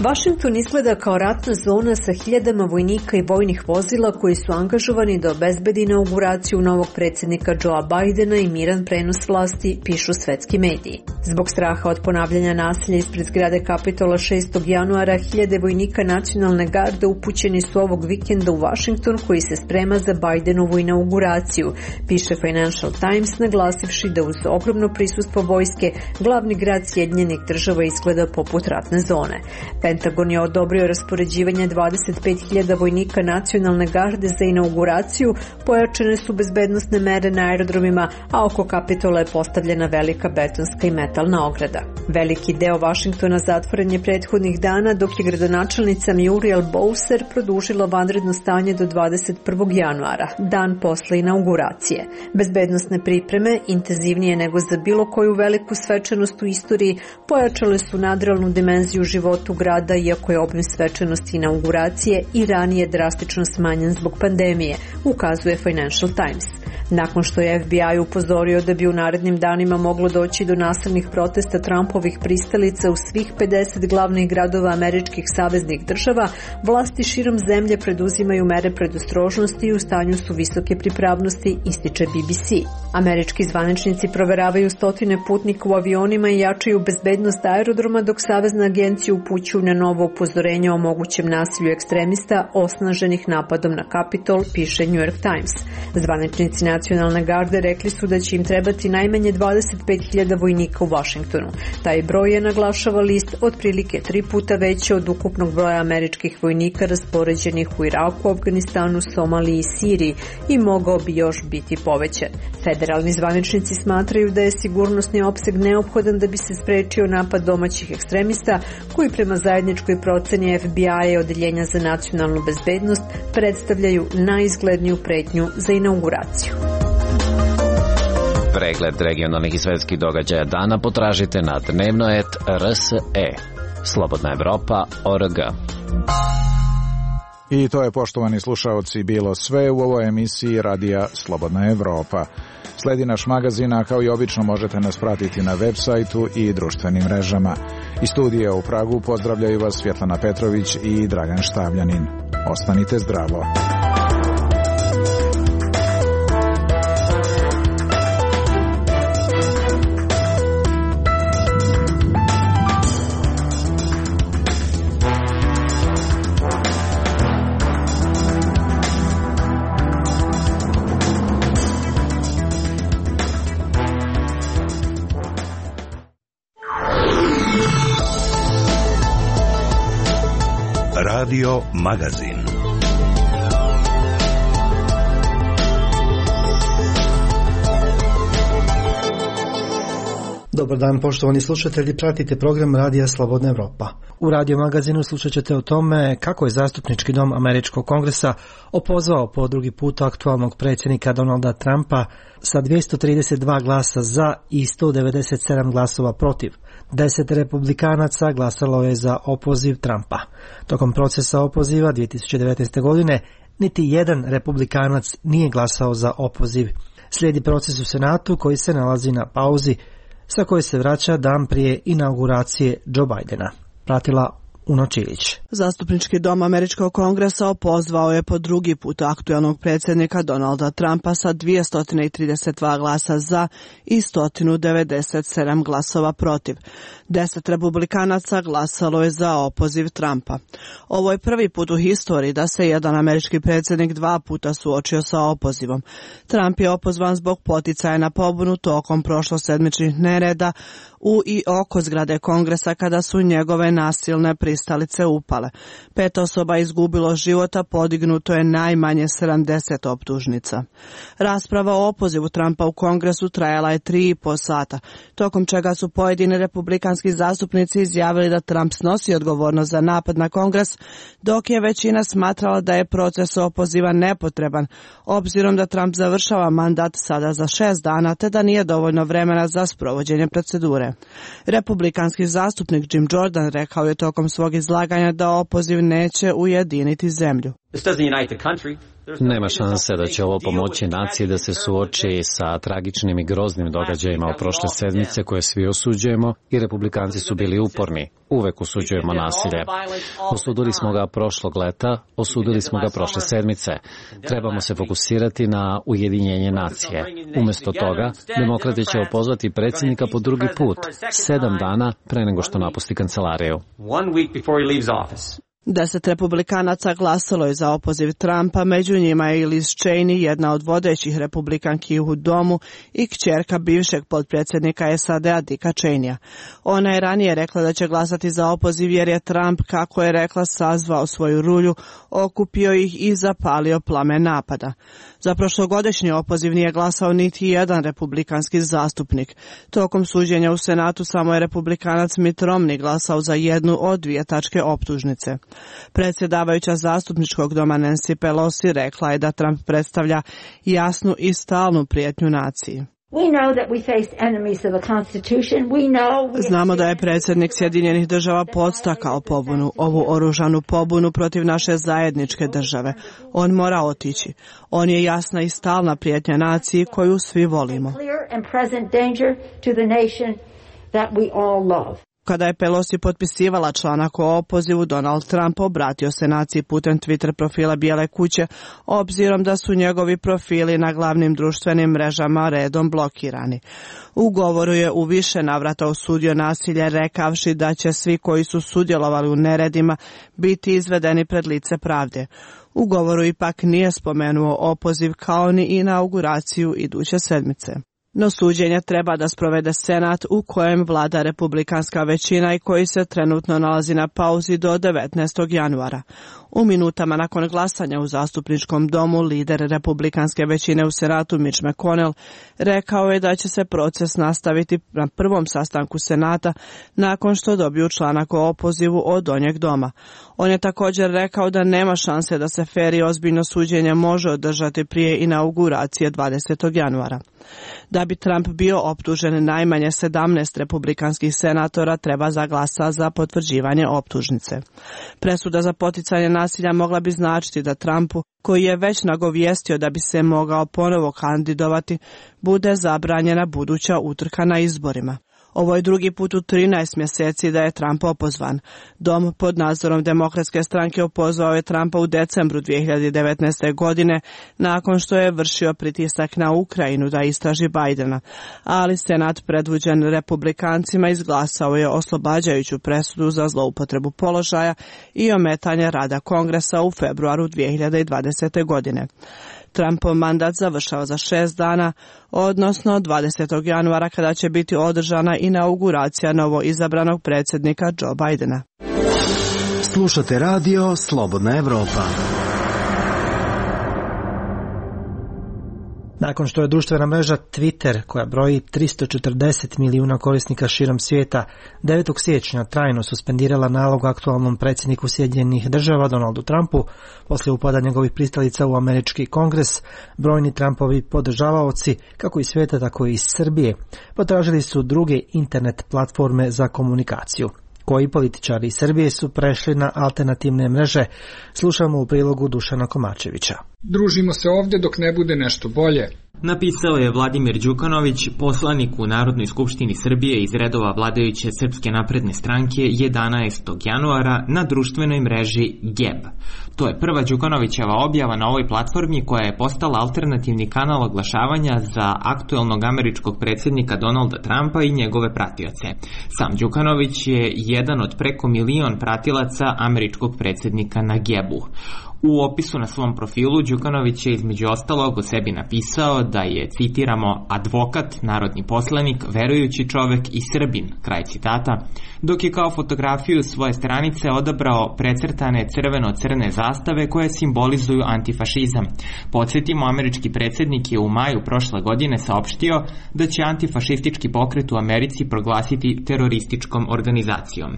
Vašington izgleda kao ratna zona sa hiljadama vojnika i vojnih vozila koji su angažovani da obezbedi inauguraciju novog predsjednika Joea Bidena i miran prenos vlasti, pišu svetski mediji. Zbog straha od ponavljanja nasilja ispred zgrade Kapitola 6. januara, hiljade vojnika nacionalne garde upućeni su ovog vikenda u Vašington koji se sprema za Bidenovu inauguraciju, piše Financial Times, naglasivši da uz ogromno prisustvo vojske glavni grad Sjedinjenih Država izgleda poput ratne zone. Pentagon je odobrio raspoređivanje 25.000 vojnika nacionalne garde za inauguraciju, pojačane su bezbednosne mere na aerodromima, a oko Kapitola je postavljena velika betonska i metalna ograda. Veliki deo Vašingtona zatvoren je prethodnih dana, dok je gradonačelnica Muriel Bowser produžila vanredno stanje do 21. januara, dan posle inauguracije. Bezbednosne pripreme, intenzivnije nego za bilo koju veliku svečanost u istoriji, pojačale su nadrealnu dimenziju životu grada, iako je obim svečanosti inauguracije i ranije drastično smanjen zbog pandemije, ukazuje Financial Times. Nakon što je FBI upozorio da bi u narednim danima moglo doći do nasilnih protesta Trumpovih pristalica u svih 50 glavnih gradova američkih saveznih država, vlasti širom zemlje preduzimaju mere predostrožnosti i u stanju su visoke pripravnosti, ističe BBC. Američki zvaničnici proveravaju stotine putnika u avionima i jačaju bezbednost aerodroma, dok Savezna agencija upućuju na novo upozorenje o mogućem nasilju ekstremista osnaženih napadom na Kapitol, piše New York Times. Zvaničnici nacionalne garde rekli su da će im trebati najmanje 25.000 vojnika u Vašingtonu. Taj broj je, naglašava list, otprilike 3 puta veći od ukupnog broja američkih vojnika raspoređenih u Iraku, Afganistanu, Somaliji i Siriji i mogao bi još biti povećan. Federalni zvaničnici smatraju da je sigurnosni opseg neophodan da bi se sprečio napad domaćih ekstremista koji prema zajedničkoj proceni FBI-a i Odeljenja za nacionalnu bezbednost predstavljaju najizgledniju pretnju za inauguraciju. Pregled regionalnih i svetskih događaja dana potražite na Dnevnoet RSE. Slobodna Evropa.org. I to je, poštovani slušaoci, bilo sve u ovoj emisiji Radija Slobodna Evropa. Sledi naš magazin, a kao i obično možete nas pratiti na web sajtu i društvenim mrežama. Iz studija u Pragu pozdravljaju vas Svjetlana Petrović i Dragan Štavljanin. Ostanite zdravo. Radio Magazin. Dobar dan, poštovani slušatelji, pratite program Radija Slobodna Evropa. U Radio Magazinu slušat ćete o tome kako je zastupnički dom Američkog kongresa opozvao po drugi put aktualnog predsjednika Donalda Trumpa sa 232 glasa za i 197 glasova protiv. 10 republikanaca glasalo je za opoziv Trumpa. Tokom procesa opoziva 2019. godine niti jedan republikanac nije glasao za opoziv. Slijedi proces u Senatu koji se nalazi na pauzi, sa koje se vraća dan prije inauguracije Joe Bidena. Pratila Uno Čilić. Zastupnički dom Američkog kongresa opozvao je po drugi put aktualnog predsjednika Donalda Trumpa sa 232 glasa za i 197 glasova protiv. 10 republikanaca glasalo je za opoziv Trumpa. Ovo je prvi put u historiji da se jedan američki predsjednik dva puta suočio sa opozivom. Trump je opozvan zbog poticaja na pobunu tokom prošlosedmičnih nereda u i oko zgrade kongresa kada su njegove nasilne pristalice upale. 5 osoba izgubilo života, podignuto je najmanje 70 optužnica. Rasprava o opozivu Trumpa u kongresu trajala je 3,5 sata, tokom čega su pojedini republikanski zastupnici izjavili da Trump snosi odgovornost za napad na kongres, dok je većina smatrala da je proces opoziva nepotreban, obzirom da Trump završava mandat sada za 6 dana, te da nije dovoljno vremena za sprovođenje procedure. Republikanski zastupnik Jim Jordan rekao je tokom svog izlaganja da opoziv neće ujediniti zemlju. Nema šanse da će ovo pomoći naciji da se suoči sa tragičnim i groznim događajima od prošle sedmice koje svi osuđujemo i republikanci su bili uporni. Uvek osuđujemo nasilje. Osudili smo ga prošlog leta, osudili smo ga prošle sedmice. Trebamo se fokusirati na ujedinjenje nacije. Umjesto toga, demokrati će opozvati predsjednika po drugi put, 7 dana pre nego što napusti kancelariju. 10 republikanaca glasalo je za opoziv Trumpa, među njima je i Liz Cheney, jedna od vodećih republikanki u domu i kćerka bivšeg potpredsjednika SAD-a Dicka Cheneya. Ona je ranije rekla da će glasati za opoziv jer je Trump, kako je rekla, sazvao svoju rulju, okupio ih i zapalio plamen napada. Za prošlogodišnji opoziv nije glasao niti jedan republikanski zastupnik. Tokom suđenja u Senatu samo je republikanac Mitt Romney glasao za jednu od 2 tačke optužnice. Predsjedavajuća zastupničkog doma Nancy Pelosi rekla je da Trump predstavlja jasnu i stalnu prijetnju naciji. Znamo da je predsjednik Sjedinjenih država podstakao pobunu, ovu oružanu pobunu protiv naše zajedničke države. On mora otići. On je jasna i stalna prijetnja naciji koju svi volimo. Kada je Pelosi potpisivala članak o opozivu, Donald Trump obratio se naciji putem Twitter profila Bijele kuće, obzirom da su njegovi profili na glavnim društvenim mrežama redom blokirani. U govoru je u više navrata osudio nasilje, rekavši da će svi koji su sudjelovali u neredima biti izvedeni pred lice pravde. U govoru ipak nije spomenuo opoziv kao ni inauguraciju iduće sedmice. No suđenje treba da sprovede Senat u kojem vlada republikanska većina i koji se trenutno nalazi na pauzi do 19. januara. U minutama nakon glasanja u zastupničkom domu lider republikanske većine u Senatu Mitch McConnell rekao je da će se proces nastaviti na prvom sastanku Senata nakon što dobiju članak o opozivu od donjeg doma. On je također rekao da nema šanse da se fer i ozbiljno suđenje može održati prije inauguracije 20. januara. Da bi Trump bio optužen, najmanje 17 republikanskih senatora treba za glasa za potvrđivanje optužnice. Presuda za poticanje nasilja mogla bi značiti da Trumpu, koji je već nagovijestio da bi se mogao ponovo kandidovati, bude zabranjena buduća utrka na izborima. Ovo je drugi put u 13 mjeseci da je Trump opozvan. Dom pod nadzorom Demokratske stranke opozvao je Trumpa u decembru 2019. godine nakon što je vršio pritisak na Ukrajinu da istraži Bidena, ali Senat predvođen republikancima izglasao je oslobađajuću presudu za zloupotrebu položaja i ometanje rada Kongresa u februaru 2020. godine. Trumpov mandat završava za 6 dana, odnosno 20. januara kada će biti održana inauguracija novo izabranog predsjednika Joe Bidena. Slušate radio Slobodna Evropa. Nakon što je društvena mreža Twitter, koja broji 340 milijuna korisnika širom svijeta, 9. siječnja trajno suspendirala nalog aktualnom predsjedniku Sjedinjenih Država Donaldu Trumpu, poslije upada njegovih pristalica u američki kongres, brojni Trumpovi podržavaoci, kako iz svijeta tako i iz Srbije, potražili su druge internet platforme za komunikaciju. Koji političari iz Srbije su prešli na alternativne mreže, slušamo u prilogu Dušana Komačevića. Družimo se ovdje dok ne bude nešto bolje. Napisao je Vladimir Đukanović, poslanik u Narodnoj skupštini Srbije iz redova vladajuće Srpske napredne stranke 11. januara na društvenoj mreži Geb. To je prva Đukanovićeva objava na ovoj platformi koja je postala alternativni kanal oglašavanja za aktuelnog američkog predsjednika Donalda Trumpa i njegove pratioce. Sam Đukanović je jedan od preko 1 milion pratilaca američkog predsjednika na Gebu. U opisu na svom profilu Đukanović je između ostalog o sebi napisao da je, citiramo, advokat, narodni poslanik, verujući čovek i Srbin, kraj citata, dok je kao fotografiju svoje stranice odabrao precrtane crveno-crne zastave koje simbolizuju antifašizam. Podsjetimo, američki predsjednik je u maju prošle godine saopštio da će antifašistički pokret u Americi proglasiti terorističkom organizacijom.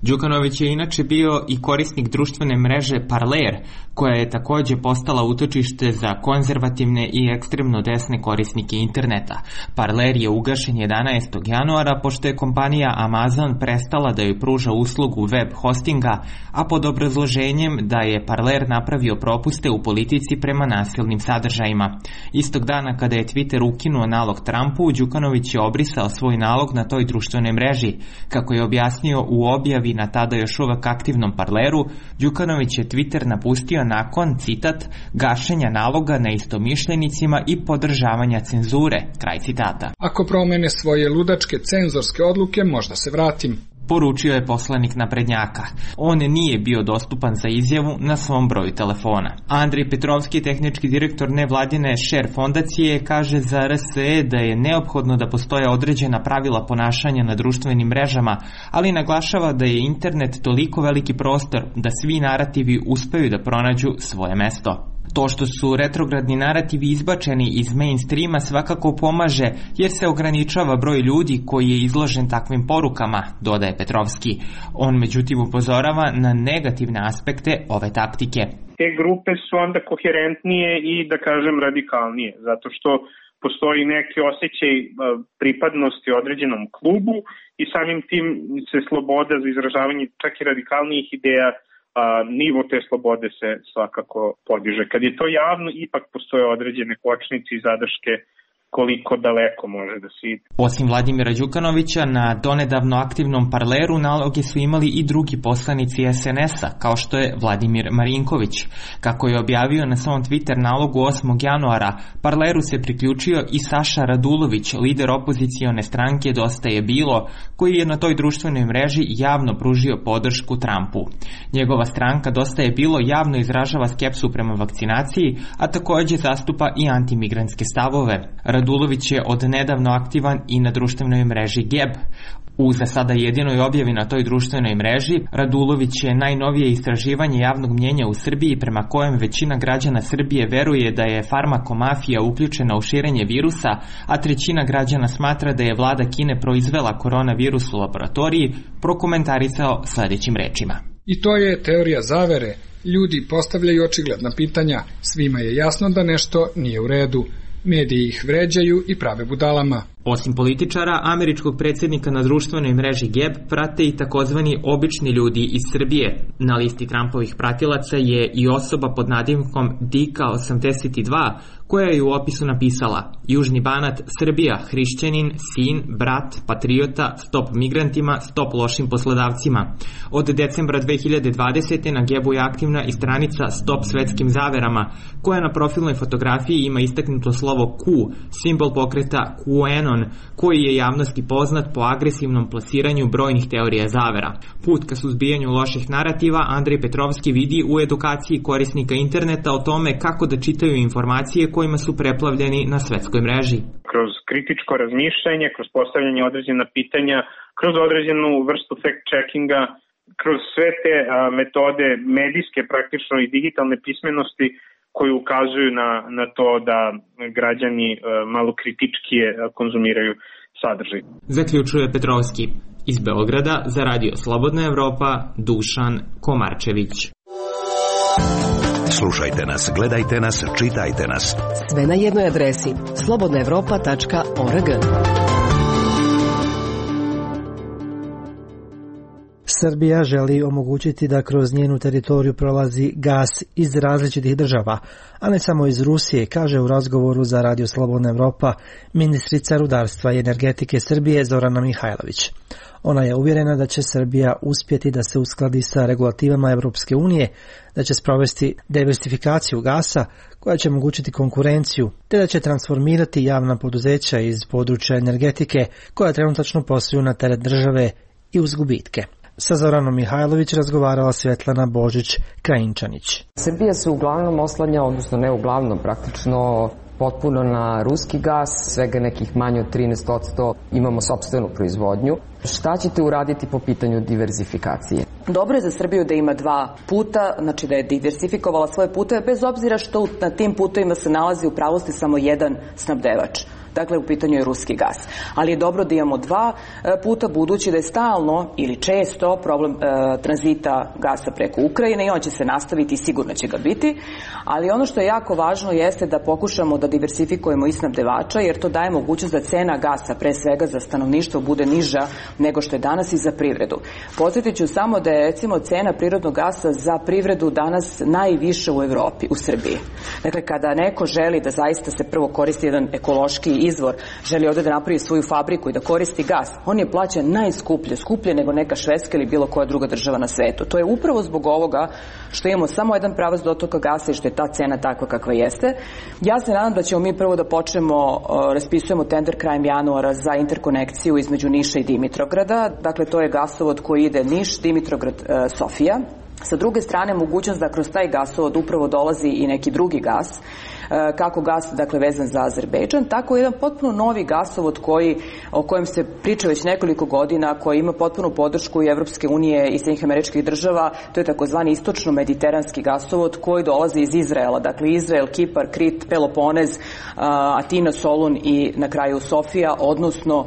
Đukanović je inače bio i korisnik društvene mreže Parler, koja je također postala utočište za konzervativne i ekstremno desne korisnike interneta. Parler je ugašen 11. januara pošto je kompanija Amazon prestala da joj pruža uslugu web hostinga, a pod obrazloženjem da je Parler napravio propuste u politici prema nasilnim sadržajima. Istog dana kada je Twitter ukinuo nalog Trumpu, Đukanović je obrisao svoj nalog na toj društvenoj mreži. Kako je objasnio u objavi na tada još uvek aktivnom Parleru, Đukanović je Twitter napustio nakon, citat, gašenja naloga na istomišljenicima i podržavanja cenzure, kraj citata. Ako promene svoje ludačke cenzorske odluke, možda se vratim, poručio je poslanik naprednjaka. On nije bio dostupan za izjavu na svom broju telefona. Andrej Petrovski, tehnički direktor nevladine Share fondacije, kaže za RSE da je neophodno da postoje određena pravila ponašanja na društvenim mrežama, ali naglašava da je internet toliko veliki prostor da svi narativi uspeju da pronađu svoje mesto. To što su retrogradni narativi izbačeni iz mainstreama svakako pomaže, jer se ograničava broj ljudi koji je izložen takvim porukama, dodaje Petrovski. On međutim upozorava na negativne aspekte ove taktike. Te grupe su onda koherentnije i, da kažem, radikalnije, zato što postoji neki osjećaj pripadnosti određenom klubu i samim tim se sloboda za izražavanje čak i radikalnijih ideja, nivo te slobode se svakako podiže. Kad je to javno, ipak postoje određene kočnice i zadrške koliko daleko može da se ide. Osim Vladimira Đukanovića, na donedavno aktivnom Parleru naloge su imali i drugi poslanici SNS-a, kao što je Vladimir Marinković. Kako je objavio na svom Twitter nalogu 8. januara, Parleru se priključio i Saša Radulović, lider opozicione stranke Dosta je bilo, koji je na toj društvenoj mreži javno pružio podršku Trumpu. Njegova stranka Dosta je bilo javno izražava skepsu prema vakcinaciji, a također zastupa i antimigrantske stavove. Radulović je od nedavno aktivan i na društvenoj mreži Geb. U za sada jedinoj objavi na toj društvenoj mreži, Radulović je najnovije istraživanje javnog mnjenja u Srbiji prema kojem većina građana Srbije veruje da je farmakomafija uključena u širenje virusa, a 1/3 građana smatra da je vlada Kine proizvela koronavirus u laboratoriji, prokomentarisao sljedećim rečima. I to je teorija zavere. Ljudi postavljaju očigledna pitanja. Svima je jasno da nešto nije u redu. Mediji ih vređaju i prave budalama. Osim političara, američkog predsjednika na društvenoj mreži Geb prate i takozvani obični ljudi iz Srbije. Na listi Trumpovih pratilaca je i osoba pod nadimkom Dika82, koja je u opisu napisala: Južni Banat, Srbija, hrišćanin, sin, brat, patriota, stop migrantima, stop lošim poslodavcima. Od decembra 2020. na Gebu je aktivna i stranica Stop svetskim zaverama, koja na profilnoj fotografiji ima istaknuto slovo Q, simbol pokreta QAnon, koji je javnosti poznat po agresivnom plasiranju brojnih teorija zavera. Put ka suzbijanju loših narativa Andrej Petrovski vidi u edukaciji korisnika interneta o tome kako da čitaju informacije kojima su preplavljeni na svetskoj mreži. Kroz kritičko razmišljanje, kroz postavljanje određena pitanja, kroz određenu vrstu fact-checkinga kroz sve te metode medijske praktično i digitalne pismenosti koji ukazuju na to da građani malo kritičkije konzumiraju sadržaj. Zaključuje Petrovski. Iz Beograda za Radio Slobodna Evropa, Dušan Komarčević. Slušajte nas, gledajte nas, čitajte nas. Sve na jednoj adresi slobodnaevropa.org. Srbija želi omogućiti da kroz njenu teritoriju prolazi gas iz različitih država, a ne samo iz Rusije, kaže u razgovoru za Radio Slobodna Evropa ministrica rudarstva i energetike Srbije Zorana Mihajlović. Ona je uvjerena da će Srbija uspjeti da se uskladi sa regulativama Europske unije, da će sprovesti diversifikaciju gasa koja će omogućiti konkurenciju, te da će transformirati javna poduzeća iz područja energetike koja trenutačno posluju na teret države i uz gubitke. Sa Zoranom Mihajlović razgovarala Svetlana Božić-Krajinčanić. Srbija se uglavnom oslanja, odnosno ne uglavnom, praktično potpuno na ruski gas, svega nekih manje od 13% imamo sopstvenu proizvodnju. Šta ćete uraditi po pitanju diverzifikacije? Dobro je za Srbiju da ima dva puta, znači da je diversifikovala svoje puteve, bez obzira što na tim putevima se nalazi u pravosti samo jedan snabdevač. Dakle, u pitanju je ruski gas. Ali je dobro da imamo dva puta, budući da je stalno ili često problem tranzita gasa preko Ukrajine i on će se nastaviti i sigurno će ga biti. Ali ono što je jako važno jeste da pokušamo da diversifikujemo i snabdevača, jer to daje mogućnost da cena gasa, pre svega za stanovništvo, bude niža nego što je danas i za privredu. Podsjetit ću samo da je recimo cena prirodnog gasa za privredu danas najviša u Evropi, u Srbiji. Dakle, kada neko želi da zaista se prvo koristi jedan ekološki izvor, želi ovdje da napravi svoju fabriku i da koristi gas, on je plaćen najskuplje, skuplje nego neka Švedska ili bilo koja druga država na svetu. To je upravo zbog ovoga što imamo samo jedan pravac dotoka gasa i što je ta cena takva kakva jeste. Ja se nadam da ćemo mi prvo da počnemo, raspisujemo tender krajem januara za interkonekciju između Niša i Dimitrovgrada. Dakle, to je gasovod koji ide Niš, Dimitrovgrad, Sofija. Sa druge strane, mogućnost da kroz taj gasovod upravo dolazi i neki drugi gas, kako gas, dakle, vezan za Azerbejdžan, tako jedan potpuno novi gasovod o kojem se priča već nekoliko godina, koji ima potpunu podršku i Evropske unije i Sjedinjenih Američkih Država. To je takozvani istočno-mediteranski gasovod koji dolazi iz Izraela. Dakle, Izrael, Kipar, Krit, Peloponez, Atina, Solun i na kraju Sofija, odnosno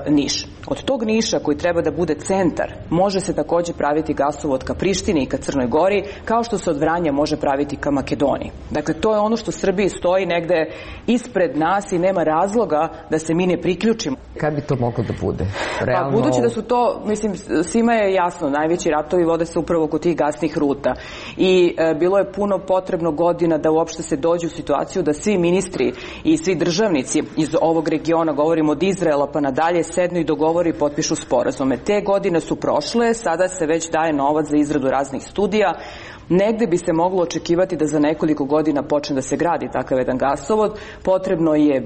Niš. Od tog Niša, koji treba da bude centar, može se također praviti gasovod ka Prištini i ka Crnoj Gori, kao što se od Vranja može praviti ka Makedoniji. Dakle, to je ono što Srbiji stoji negde ispred nas i nema razloga da se mi ne priključimo. Kad bi to moglo da bude? Realno... Pa, budući da su to, mislim, svima je jasno, najveći ratovi vode se upravo kod tih gasnih ruta. I bilo je puno potrebno godina da uopšte se dođe u situaciju da svi ministri i svi državnici iz ovog regiona, govorimo od Izraela pa nadalje, sednu i dogovore i potpišu sporazume. Te godine su prošle, sada se već daje novac za izradu raznih studija. Negde bi se moglo očekivati da za nekoliko godina počne da se gradi takav jedan gasovod. Potrebno je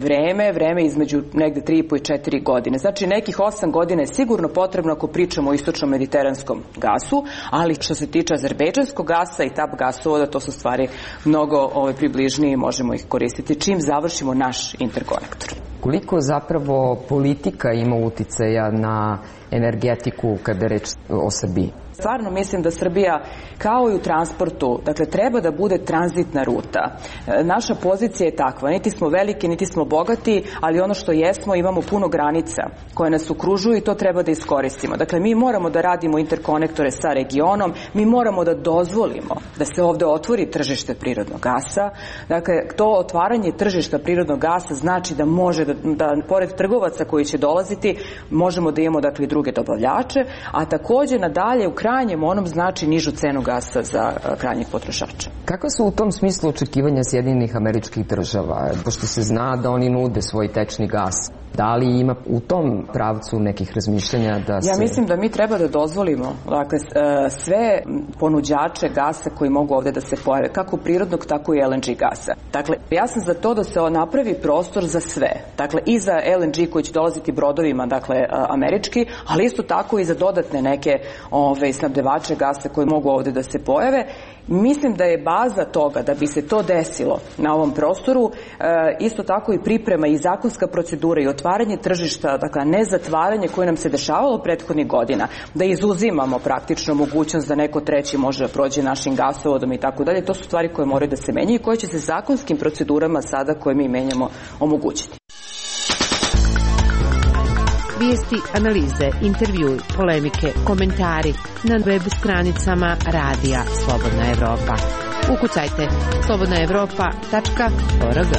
vreme između negde 3,5 i 4 godine. Znači nekih 8 godina je sigurno potrebno ako pričamo o istočno-mediteranskom gasu, ali što se tiče azerbejdžanskog gasa i TAP gasovoda, to su stvari mnogo približnije i možemo ih koristiti čim završimo naš interkonektor. Koliko zapravo politika ima uticaja na energetiku kada je reč o Srbiji? Stvarno mislim da Srbija, kao i u transportu, dakle, treba da bude tranzitna ruta. Naša pozicija je takva, niti smo veliki, niti smo bogati, ali ono što jesmo, imamo puno granica koje nas okružuju i to treba da iskoristimo. Dakle, mi moramo da radimo interkonektore sa regionom, mi moramo da dozvolimo da se ovde otvori tržište prirodnog gasa. Dakle, to otvaranje tržišta prirodnog gasa znači da može da pored trgovaca koji će dolaziti, možemo da imamo, dakle, i druge dobavljače, a takođe nadalje u krajnjem onom znači nižu cenu gasa za krajnjeg potrošača. Kakva su u tom smislu očekivanja Sjedinjenih Američkih Država? Pošto se zna da oni nude svoj tečni gas. Da li ima u tom pravcu nekih razmišljanja da se... Ja mislim da mi treba da dozvolimo, dakle, sve ponuđače gasa koji mogu ovde da se pojave, kako prirodnog, tako i LNG gasa. Dakle, ja sam za to da se napravi prostor za sve. Dakle, i za LNG koji će dolaziti brodovima, dakle, američki, ali isto tako i za dodatne neke snabdevače gasa koji mogu ovde da se pojave. Mislim da je baza toga da bi se to desilo na ovom prostoru isto tako i priprema i zakonska procedura i otvaranje tržišta, dakle ne zatvaranje koje nam se dešavalo prethodnih godina, da izuzimamo praktično mogućnost da neko treći može da prođe našim gasovodom i tako dalje. To su stvari koje moraju da se menjaju i koje će se zakonskim procedurama sada koje mi menjamo omogućiti. Vijesti, analize, intervjui, polemike, komentari na web stranicama Radija Slobodna Evropa. Ukucajte slobodnaevropa.org.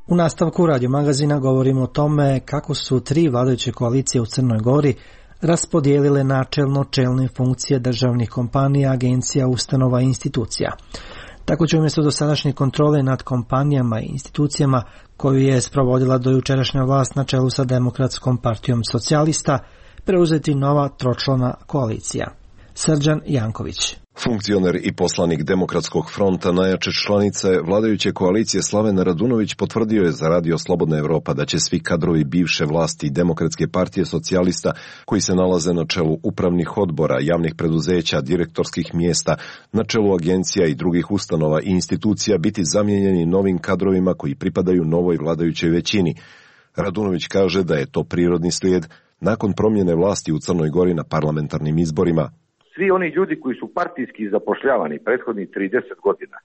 U nastavku Radio magazina govorimo o tome kako su 3 vladajuće koalicije u Crnoj Gori raspodijelile načelno čelne funkcije državnih kompanija, agencija, ustanova i institucija. Tako će umjesto dosadašnje kontrole nad kompanijama i institucijama koju je sprovodila do jučerašnja vlast na čelu sa Demokratskom partijom socijalista preuzeti nova tročlana koalicija. Srđan Janković. Funkcioner i poslanik Demokratskog fronta, najjače članice vladajuće koalicije Slaven Radunović potvrdio je za Radio Slobodna Evropa da će svi kadrovi bivše vlasti Demokratske partije socijalista koji se nalaze na čelu upravnih odbora, javnih preduzeća, direktorskih mjesta, na čelu agencija i drugih ustanova i institucija biti zamijenjeni novim kadrovima koji pripadaju novoj vladajućoj većini. Radunović kaže da je to prirodni slijed nakon promjene vlasti u Crnoj Gori na parlamentarnim izborima. Svi oni ljudi koji su partijski zapošljavani prethodnih 30 godina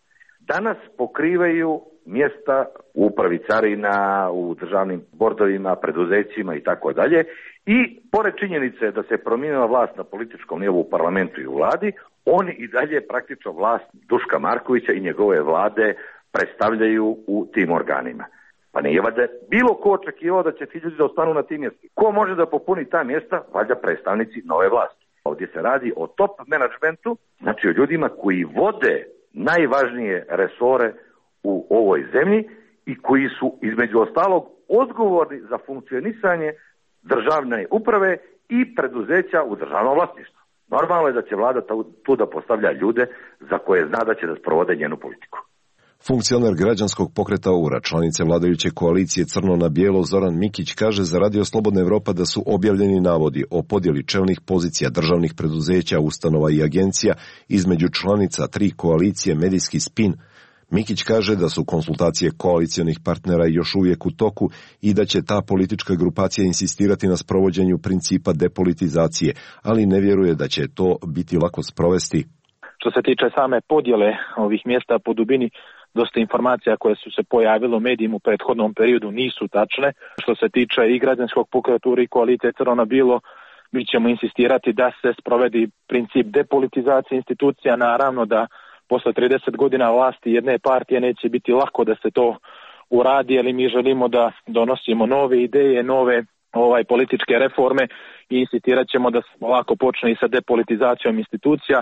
danas pokrivaju mjesta u upravi carina, u državnim bordovima, preduzećima i tako dalje. I pored činjenice da se promijenila vlast na političkom nivou u parlamentu i u vladi, oni i dalje praktično vlast Duška Markovića i njegove vlade predstavljaju u tim organima. Pa nije valjda bilo ko očekivao da će ti ljudi da ostanu na tim mjestima. Ko može da popuni ta mjesta? Valjda predstavnici nove vlasti. Ovdje se radi o top menadžmentu, znači o ljudima koji vode najvažnije resore u ovoj zemlji i koji su između ostalog odgovorni za funkcionisanje državne uprave i preduzeća u državnom vlasništvu. Normalno je da će vlada tu da postavlja ljude za koje zna da će da sprovode njenu politiku. Funkcioner građanskog pokreta URA, članice vladajuće koalicije Crno na bijelo Zoran Mikić kaže za Radio Slobodna Evropa da su objavljeni navodi o podjeli čelnih pozicija državnih preduzeća, ustanova i agencija između članica 3 koalicije Medijski spin. Mikić kaže da su konsultacije koalicionih partnera još uvijek u toku i da će ta politička grupacija insistirati na sprovođenju principa depolitizacije, ali ne vjeruje da će to biti lako sprovesti. Što se tiče same podjele ovih mjesta po dubini, dosta informacija koje su se pojavile u medijima u prethodnom periodu nisu tačne. Što se tiče i građanskog pokreta i koalicije Crno na bijelo, mi ćemo insistirati da se sprovedi princip depolitizacije institucija. Naravno da posle 30 godina vlasti jedne partije neće biti lako da se to uradi, ali mi želimo da donosimo nove ideje, nove političke reforme i insistirat ćemo da lako počne i sa depolitizacijom institucija.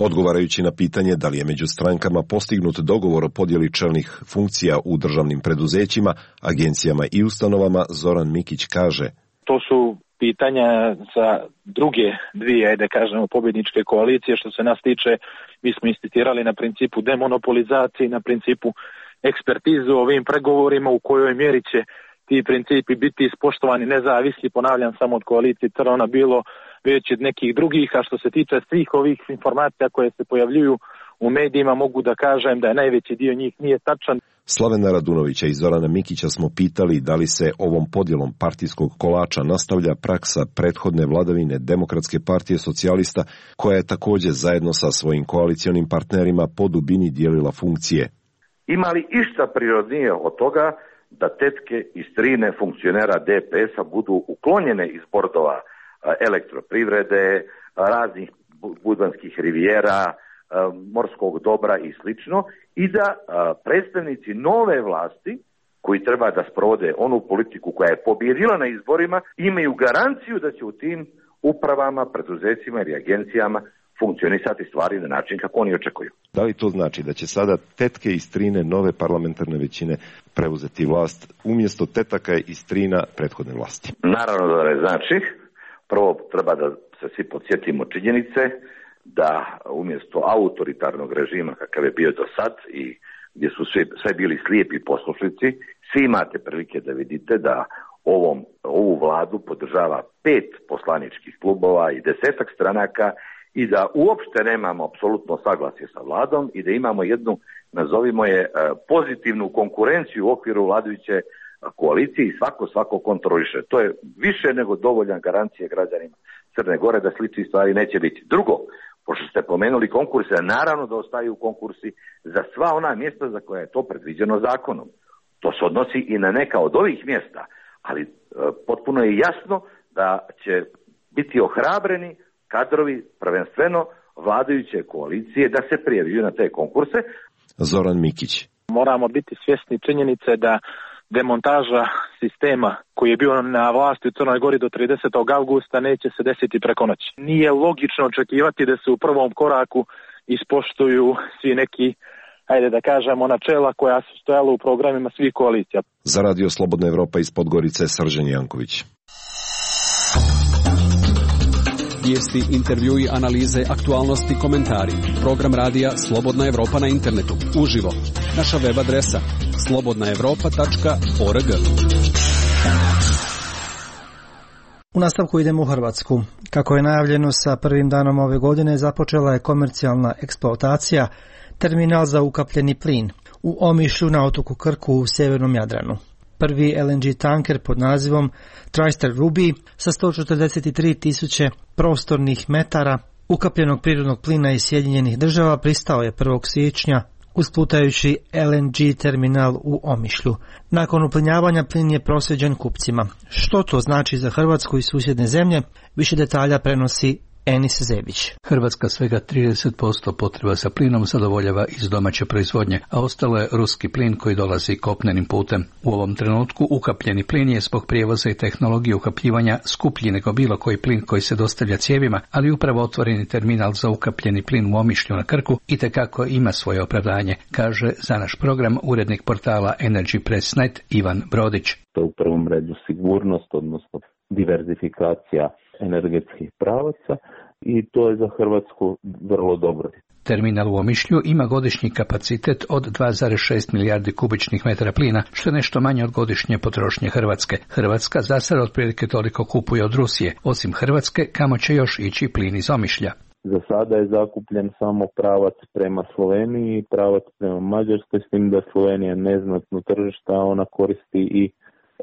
Odgovarajući na pitanje da li je među strankama postignut dogovor o podjeli čelnih funkcija u državnim preduzećima, agencijama i ustanovama, Zoran Mikić kaže: To su pitanja za druge dvije, da kažemo, pobjedničke koalicije. Što se nas tiče, mi smo insistirali na principu demonopolizacije, na principu ekspertizu o ovim pregovorima, u kojoj mjeri će ti principi biti ispoštovani nezavisni, ponavljam, samo od koalicije Crno na bijelo, već od nekih drugih. A što se tiče svih ovih informacija koje se pojavljuju u medijima, mogu da kažem da je najveći dio njih nije tačan. Slavena Radunovića i Zorana Mikića smo pitali da li se ovom podjelom partijskog kolača nastavlja praksa prethodne vladavine Demokratske partije socijalista, koja je također zajedno sa svojim koalicionim partnerima po dubini dijelila funkcije. Ima li išta prirodnije od toga da tetke i strine funkcionera DPS-a budu uklonjene iz bordova elektroprivrede, raznih budvanskih rivijera, morskog dobra i slično, i da predstavnici nove vlasti koji treba da sprovode onu politiku koja je pobjedila na izborima imaju garanciju da će u tim upravama, preduzećima ili agencijama funkcionisati stvari na način kako oni očekuju. Da li to znači da će sada tetke i strine nove parlamentarne većine preuzeti vlast umjesto tetaka i strina prethodne vlasti? Naravno da ne znači. Prvo treba da se svi podsjetimo činjenice da umjesto autoritarnog režima kakav je bio do sad i gdje su sve bili slijepi poslušnici, svi imate prilike da vidite da ovu vladu podržava 5 poslaničkih klubova i 10 stranaka i da uopšte nemamo apsolutno saglasje sa vladom i da imamo jednu, nazovimo je, pozitivnu konkurenciju u okviru vladajuće koalicije i svako kontroliše. To je više nego dovoljan garancija građanima Crne Gore da sličnih stvari neće biti. Drugo, pošto ste pomenuli konkurse, naravno da ostaju konkursi za sva ona mjesta za koja je to predviđeno zakonom. To se odnosi i na neka od ovih mjesta, ali potpuno je jasno da će biti ohrabreni kadrovi, prvenstveno vladajuće koalicije, da se prijavljuju na te konkurse. Zoran Mikić. Moramo biti svjesni činjenice da demontaža sistema koji je bio na vlasti u Crnoj Gori do 30. augusta neće se desiti preko noći. Nije logično očekivati da se u prvom koraku ispoštuju svi neki, ajde da kažemo, načela koja su stojala u programima svih koalicija. Za Radio Slobodna Evropa iz Podgorice, Srđan Janković. Vijesti, intervjui, analize, aktualnosti, komentari. Program radija Slobodna Evropa na internetu. Uživo. Naša web adresa slobodnaevropa.org. U nastavku idemo u Hrvatsku. Kako je najavljeno, sa prvim danom ove godine započela je komercijalna eksploatacija terminal za ukapljeni plin u Omišlju na otoku Krku u sjevernom Jadranu. Prvi LNG tanker pod nazivom Tristar Ruby sa 143.000 prostornih metara ukapljenog prirodnog plina iz Sjedinjenih Država pristao je 1. siječnja uz plutajući LNG terminal u Omišlju. Nakon uplinjavanja plin je proslijeđen kupcima. Što to znači za Hrvatsku i susjedne zemlje? Više detalja prenosi Enis Zebić. Hrvatska svega 30% potreba sa plinom zadovoljava iz domaće proizvodnje, a ostalo je ruski plin koji dolazi kopnenim putem. U ovom trenutku ukapljeni plin je zbog prijevoza i tehnologije ukapljivanja skuplji nego bilo koji plin koji se dostavlja cijevima, ali upravo otvoreni terminal za ukapljeni plin u Omišlju na Krku itekako ima svoje opravdanje, kaže za naš program urednik portala Energy Press Net Ivan Brodić. To je u prvom redu sigurnost, odnosno diverzifikacija energetskih pravaca i to je za Hrvatsku vrlo dobro. Terminal u Omišlju ima godišnji kapacitet od 2,6 milijardi kubičnih metara plina, što je nešto manje od godišnje potrošnje Hrvatske. Hrvatska za sada otprilike toliko kupuje od Rusije. Osim Hrvatske, kamo će još ići plin iz Omišlja? Za sada je zakupljen samo pravac prema Sloveniji i pravac prema Mađarskoj, s tim da Slovenija neznatno tržišta, a ona koristi i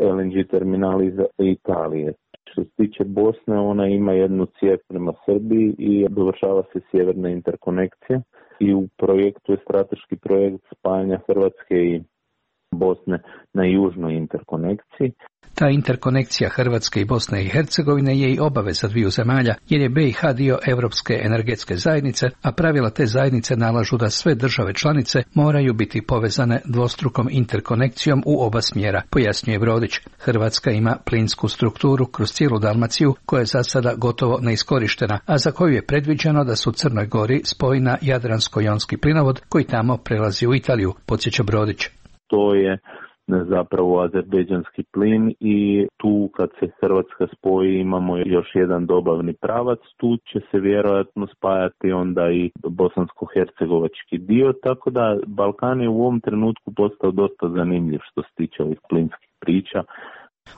LNG terminal iz Italije. Što se tiče Bosne, ona ima jednu cijev prema Srbiji i dovršava se sjeverna interkonekcija i u projektu je strateški projekt spajanja Hrvatske i Bosne na južnoj interkonekciji. Ta interkonekcija Hrvatske i Bosne i Hercegovine je i obaveza dviju zemalja, jer je BiH dio Europske energetske zajednice, a pravila te zajednice nalažu da sve države članice moraju biti povezane dvostrukom interkonekcijom u oba smjera, pojasnjuje Brodić. Hrvatska ima plinsku strukturu kroz cijelu Dalmaciju, koja je za sada gotovo neiskorištena, a za koju je predviđeno da su Crnoj Gori spoji na Jadransko-jonski plinovod koji tamo prelazi u Italiju, podsjeća Brodić. To je zapravo azerbejdžanski plin i tu kad se Hrvatska spoji imamo još jedan dobavni pravac, tu će se vjerojatno spajati onda i bosansko-hercegovački dio, tako da Balkan je u ovom trenutku postao dosta zanimljiv što se tiče ovih plinskih priča.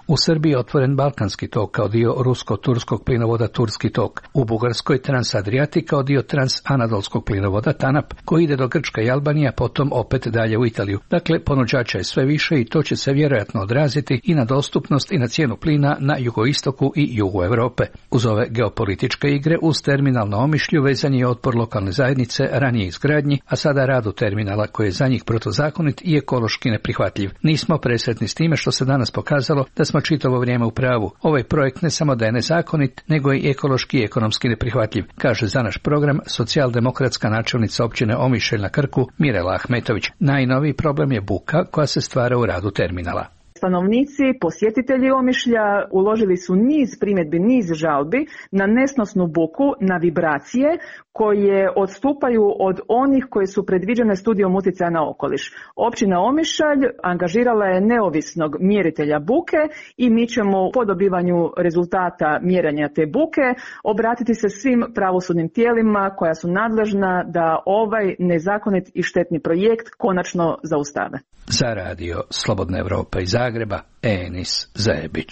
U Srbiji je otvoren Balkanski tok kao dio rusko-turskog plinovoda Turski tok. U Bugarskoj Transadriatic kao dio transanadolskog plinovoda TANAP koji ide do Grčka i Albanija, potom opet dalje u Italiju. Dakle, ponuđača je sve više i to će se vjerojatno odraziti i na dostupnost i na cijenu plina na jugoistoku i jugu Europe. Uz ove geopolitičke igre uz terminal na Omišlju vezan je otpor lokalne zajednice ranije izgradnji, a sada radu terminala koji je za njih protuzakonit i ekološki neprihvatljiv. Nismo presretni s time što se danas pokazalo da smo čitavo vrijeme u pravu. Ovaj projekt ne samo da je nezakonit, nego i ekološki i ekonomski neprihvatljiv, kaže za naš program socijaldemokratska načelnica općine Omišalj na Krku Mirela Ahmetović. Najnoviji problem je buka koja se stvara u radu terminala. Stanovnici, posjetitelji Omišlja uložili su niz primjedbi, niz žalbi na nesnosnu buku, na vibracije koje odstupaju od onih koje su predviđene studijom utjecaja na okoliš. Općina Omišalj angažirala je neovisnog mjeritelja buke i mi ćemo po dobivanju rezultata mjerenja te buke obratiti se svim pravosudnim tijelima koja su nadležna da ovaj nezakonit i štetni projekt konačno zaustave. Za radio Slobodna Evropa iz Zagreba, Zagreba Enis Zebić.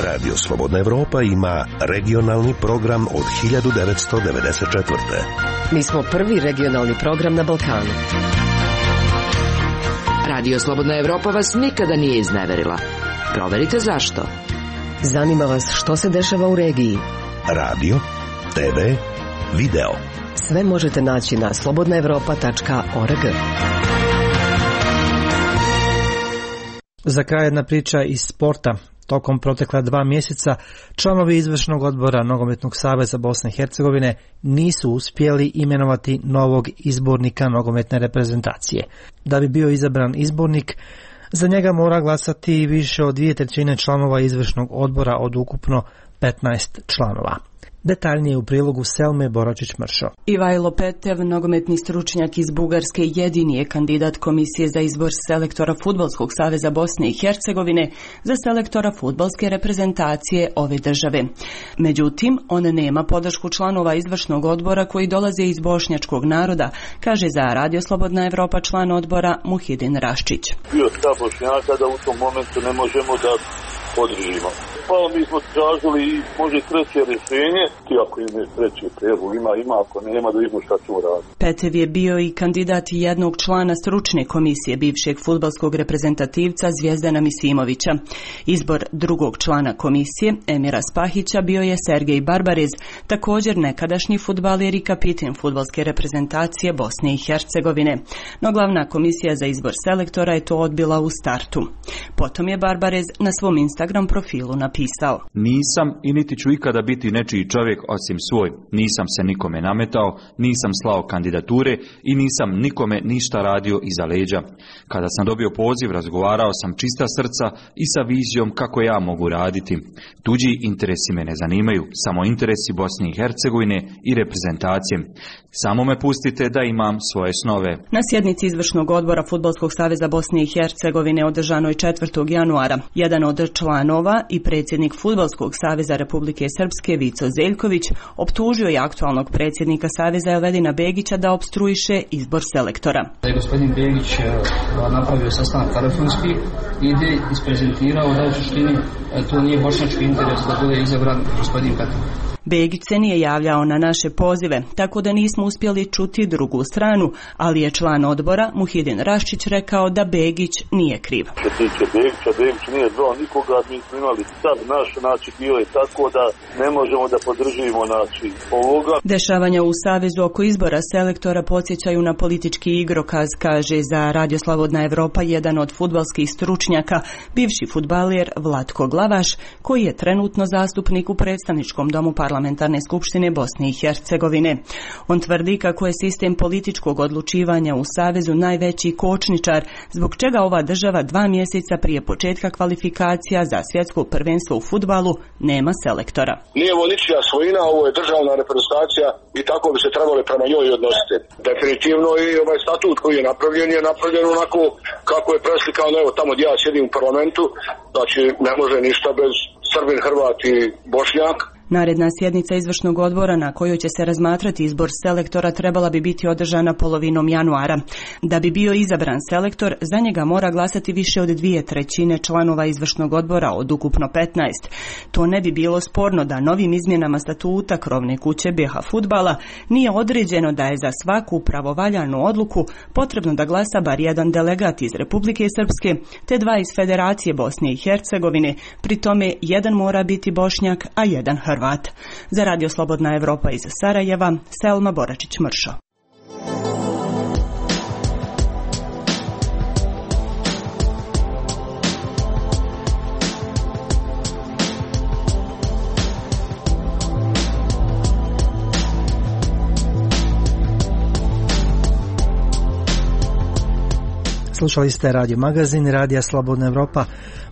Radio Slobodna Evropa ima regionalni program od 1994. Mi smo prvi regionalni program na Balkanu. Radio Slobodna Evropa vas nikada nije izneverila. Proverite zašto. Zanima vas što se dešava u regiji. Radio, TV, video. Sve možete naći na slobodnaevropa.org. Za kraj jedna priča iz sporta. Tokom protekla 2 mjeseca članovi izvršnog odbora Nogometnog saveza Bosne i Hercegovine nisu uspjeli imenovati novog izbornika nogometne reprezentacije. Da bi bio izabran izbornik, za njega mora glasati više od 2/3 članova izvršnog odbora od ukupno 15 članova. Detaljnije u prilogu Selme Boračić-Mršo. Ivajlo Petev, nogometni stručnjak iz Bugarske, jedini je kandidat komisije za izbor selektora Fudbalskog saveza Bosne i Hercegovine za selektora fudbalske reprezentacije ove države. Međutim, on nema podršku članova izvršnog odbora koji dolaze iz bošnjačkog naroda, kaže za Radio Slobodna Evropa član odbora Muhidin Raščić. Bio stav Bošnjaka da u tom momentu ne možemo da podržimo. Pa mi smo tražili i može treće rješenje, ti ako ima treći prijedlog, ima, ako nema da vidimo šta ćemo raditi. Petev je bio i kandidat jednog člana stručne komisije bivšeg fudbalskog reprezentativca Zvijezdana Misimovića. Izbor drugog člana komisije, Emira Spahića, bio je Sergej Barbarez, također nekadašnji fudbaler i kapitan fudbalske reprezentacije Bosne i Hercegovine. No glavna komisija za izbor selektora je to odbila u startu. Potom je Barbarez na svom Instagram profilu napisao: Nisam i niti ću ikada biti nečiji čovjek osim svoj. Nisam se nikome nametao, nisam slao kandidature i nisam nikome ništa radio iza leđa. Kada sam dobio poziv, razgovarao sam čista srca i sa vizijom kako ja mogu raditi. Tuđi interesi me ne zanimaju, samo interesi Bosne i Hercegovine i reprezentacije. Samo me pustite da imam svoje snove. Na sjednici izvršnog odbora Fudbalskog saveza Bosne i Hercegovine održanoj 4. januara, jedan od članova i predsjednik Fudbalskog saveza Republike Srpske Vico Zeljković optužio je aktualnog predsjednika saveza Elvedina Begića da opstruiše izbor selektora. Da je gospodin Begić napravio sastanak telefonski i isprezentirao da u suštini to nije bošnjački interes da bude izabran gospodin Petev. Begić se nije javljao na naše pozive, tako da nismo uspjeli čuti drugu stranu, ali je član odbora Muhidin Raščić rekao da Begić nije kriv. Što se tiče Begića, Begić nije zvao nikoga, mi smo imali stav naš, znači bilo je tako da ne možemo da podržimo ovoga. Dešavanja u Savezu oko izbora selektora podsjećaju na politički igrokaz, kaže za Radio Slobodna Evropa jedan od fudbalskih stručnjaka, bivši fudbaler Vlatko Glavaš, koji je trenutno zastupnik u predstavničkom domu Parlamentarne skupštine Bosne i Hercegovine. On tvrdi kako je sistem političkog odlučivanja u Savezu najveći kočničar, zbog čega ova država 2 mjeseca prije početka kvalifikacija za svjetsko prvenstvo u fudbalu nema selektora. Nije ovo ničija svojina, ovo je državna reprezentacija i tako bi se trebali prema njoj odnositi. Definitivno i ovaj statut koji je napravljen onako kako je preslikano, evo tamo gdje ja sjedim u parlamentu, znači ne može ništa bez Srbin, Hrvat i Bošnjak. Naredna sjednica izvršnog odbora na kojoj će se razmatrati izbor selektora trebala bi biti održana polovinom januara. Da bi bio izabran selektor, za njega mora glasati više od 2/3 članova izvršnog odbora od ukupno 15. To ne bi bilo sporno da novim izmjenama statuta krovne kuće BiH fudbala nije određeno da je za svaku pravovaljanu odluku potrebno da glasa bar jedan delegat iz Republike Srpske te 2 iz Federacije Bosne i Hercegovine, pri tome jedan mora biti Bošnjak, a jedan Hrvat. Za Radio Slobodna Evropa iz Sarajeva, Selma Boračić-Mršo. Slušali ste Radio Magazin Radija Slobodna Evropa.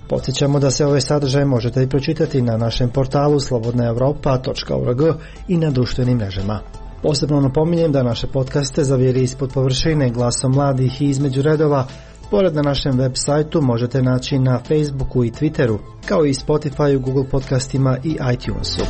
Podsjećamo da se ove sadržaje možete i pročitati na našem portalu slobodnaevropa.org i na društvenim mrežama. Posebno napominjem da naše podcaste Zavjeri ispod površine, Glasom mladih i Između redova, pored na našem web sajtu možete naći na Facebooku i Twitteru, kao i Spotifyu, Google podcastima i iTunesu.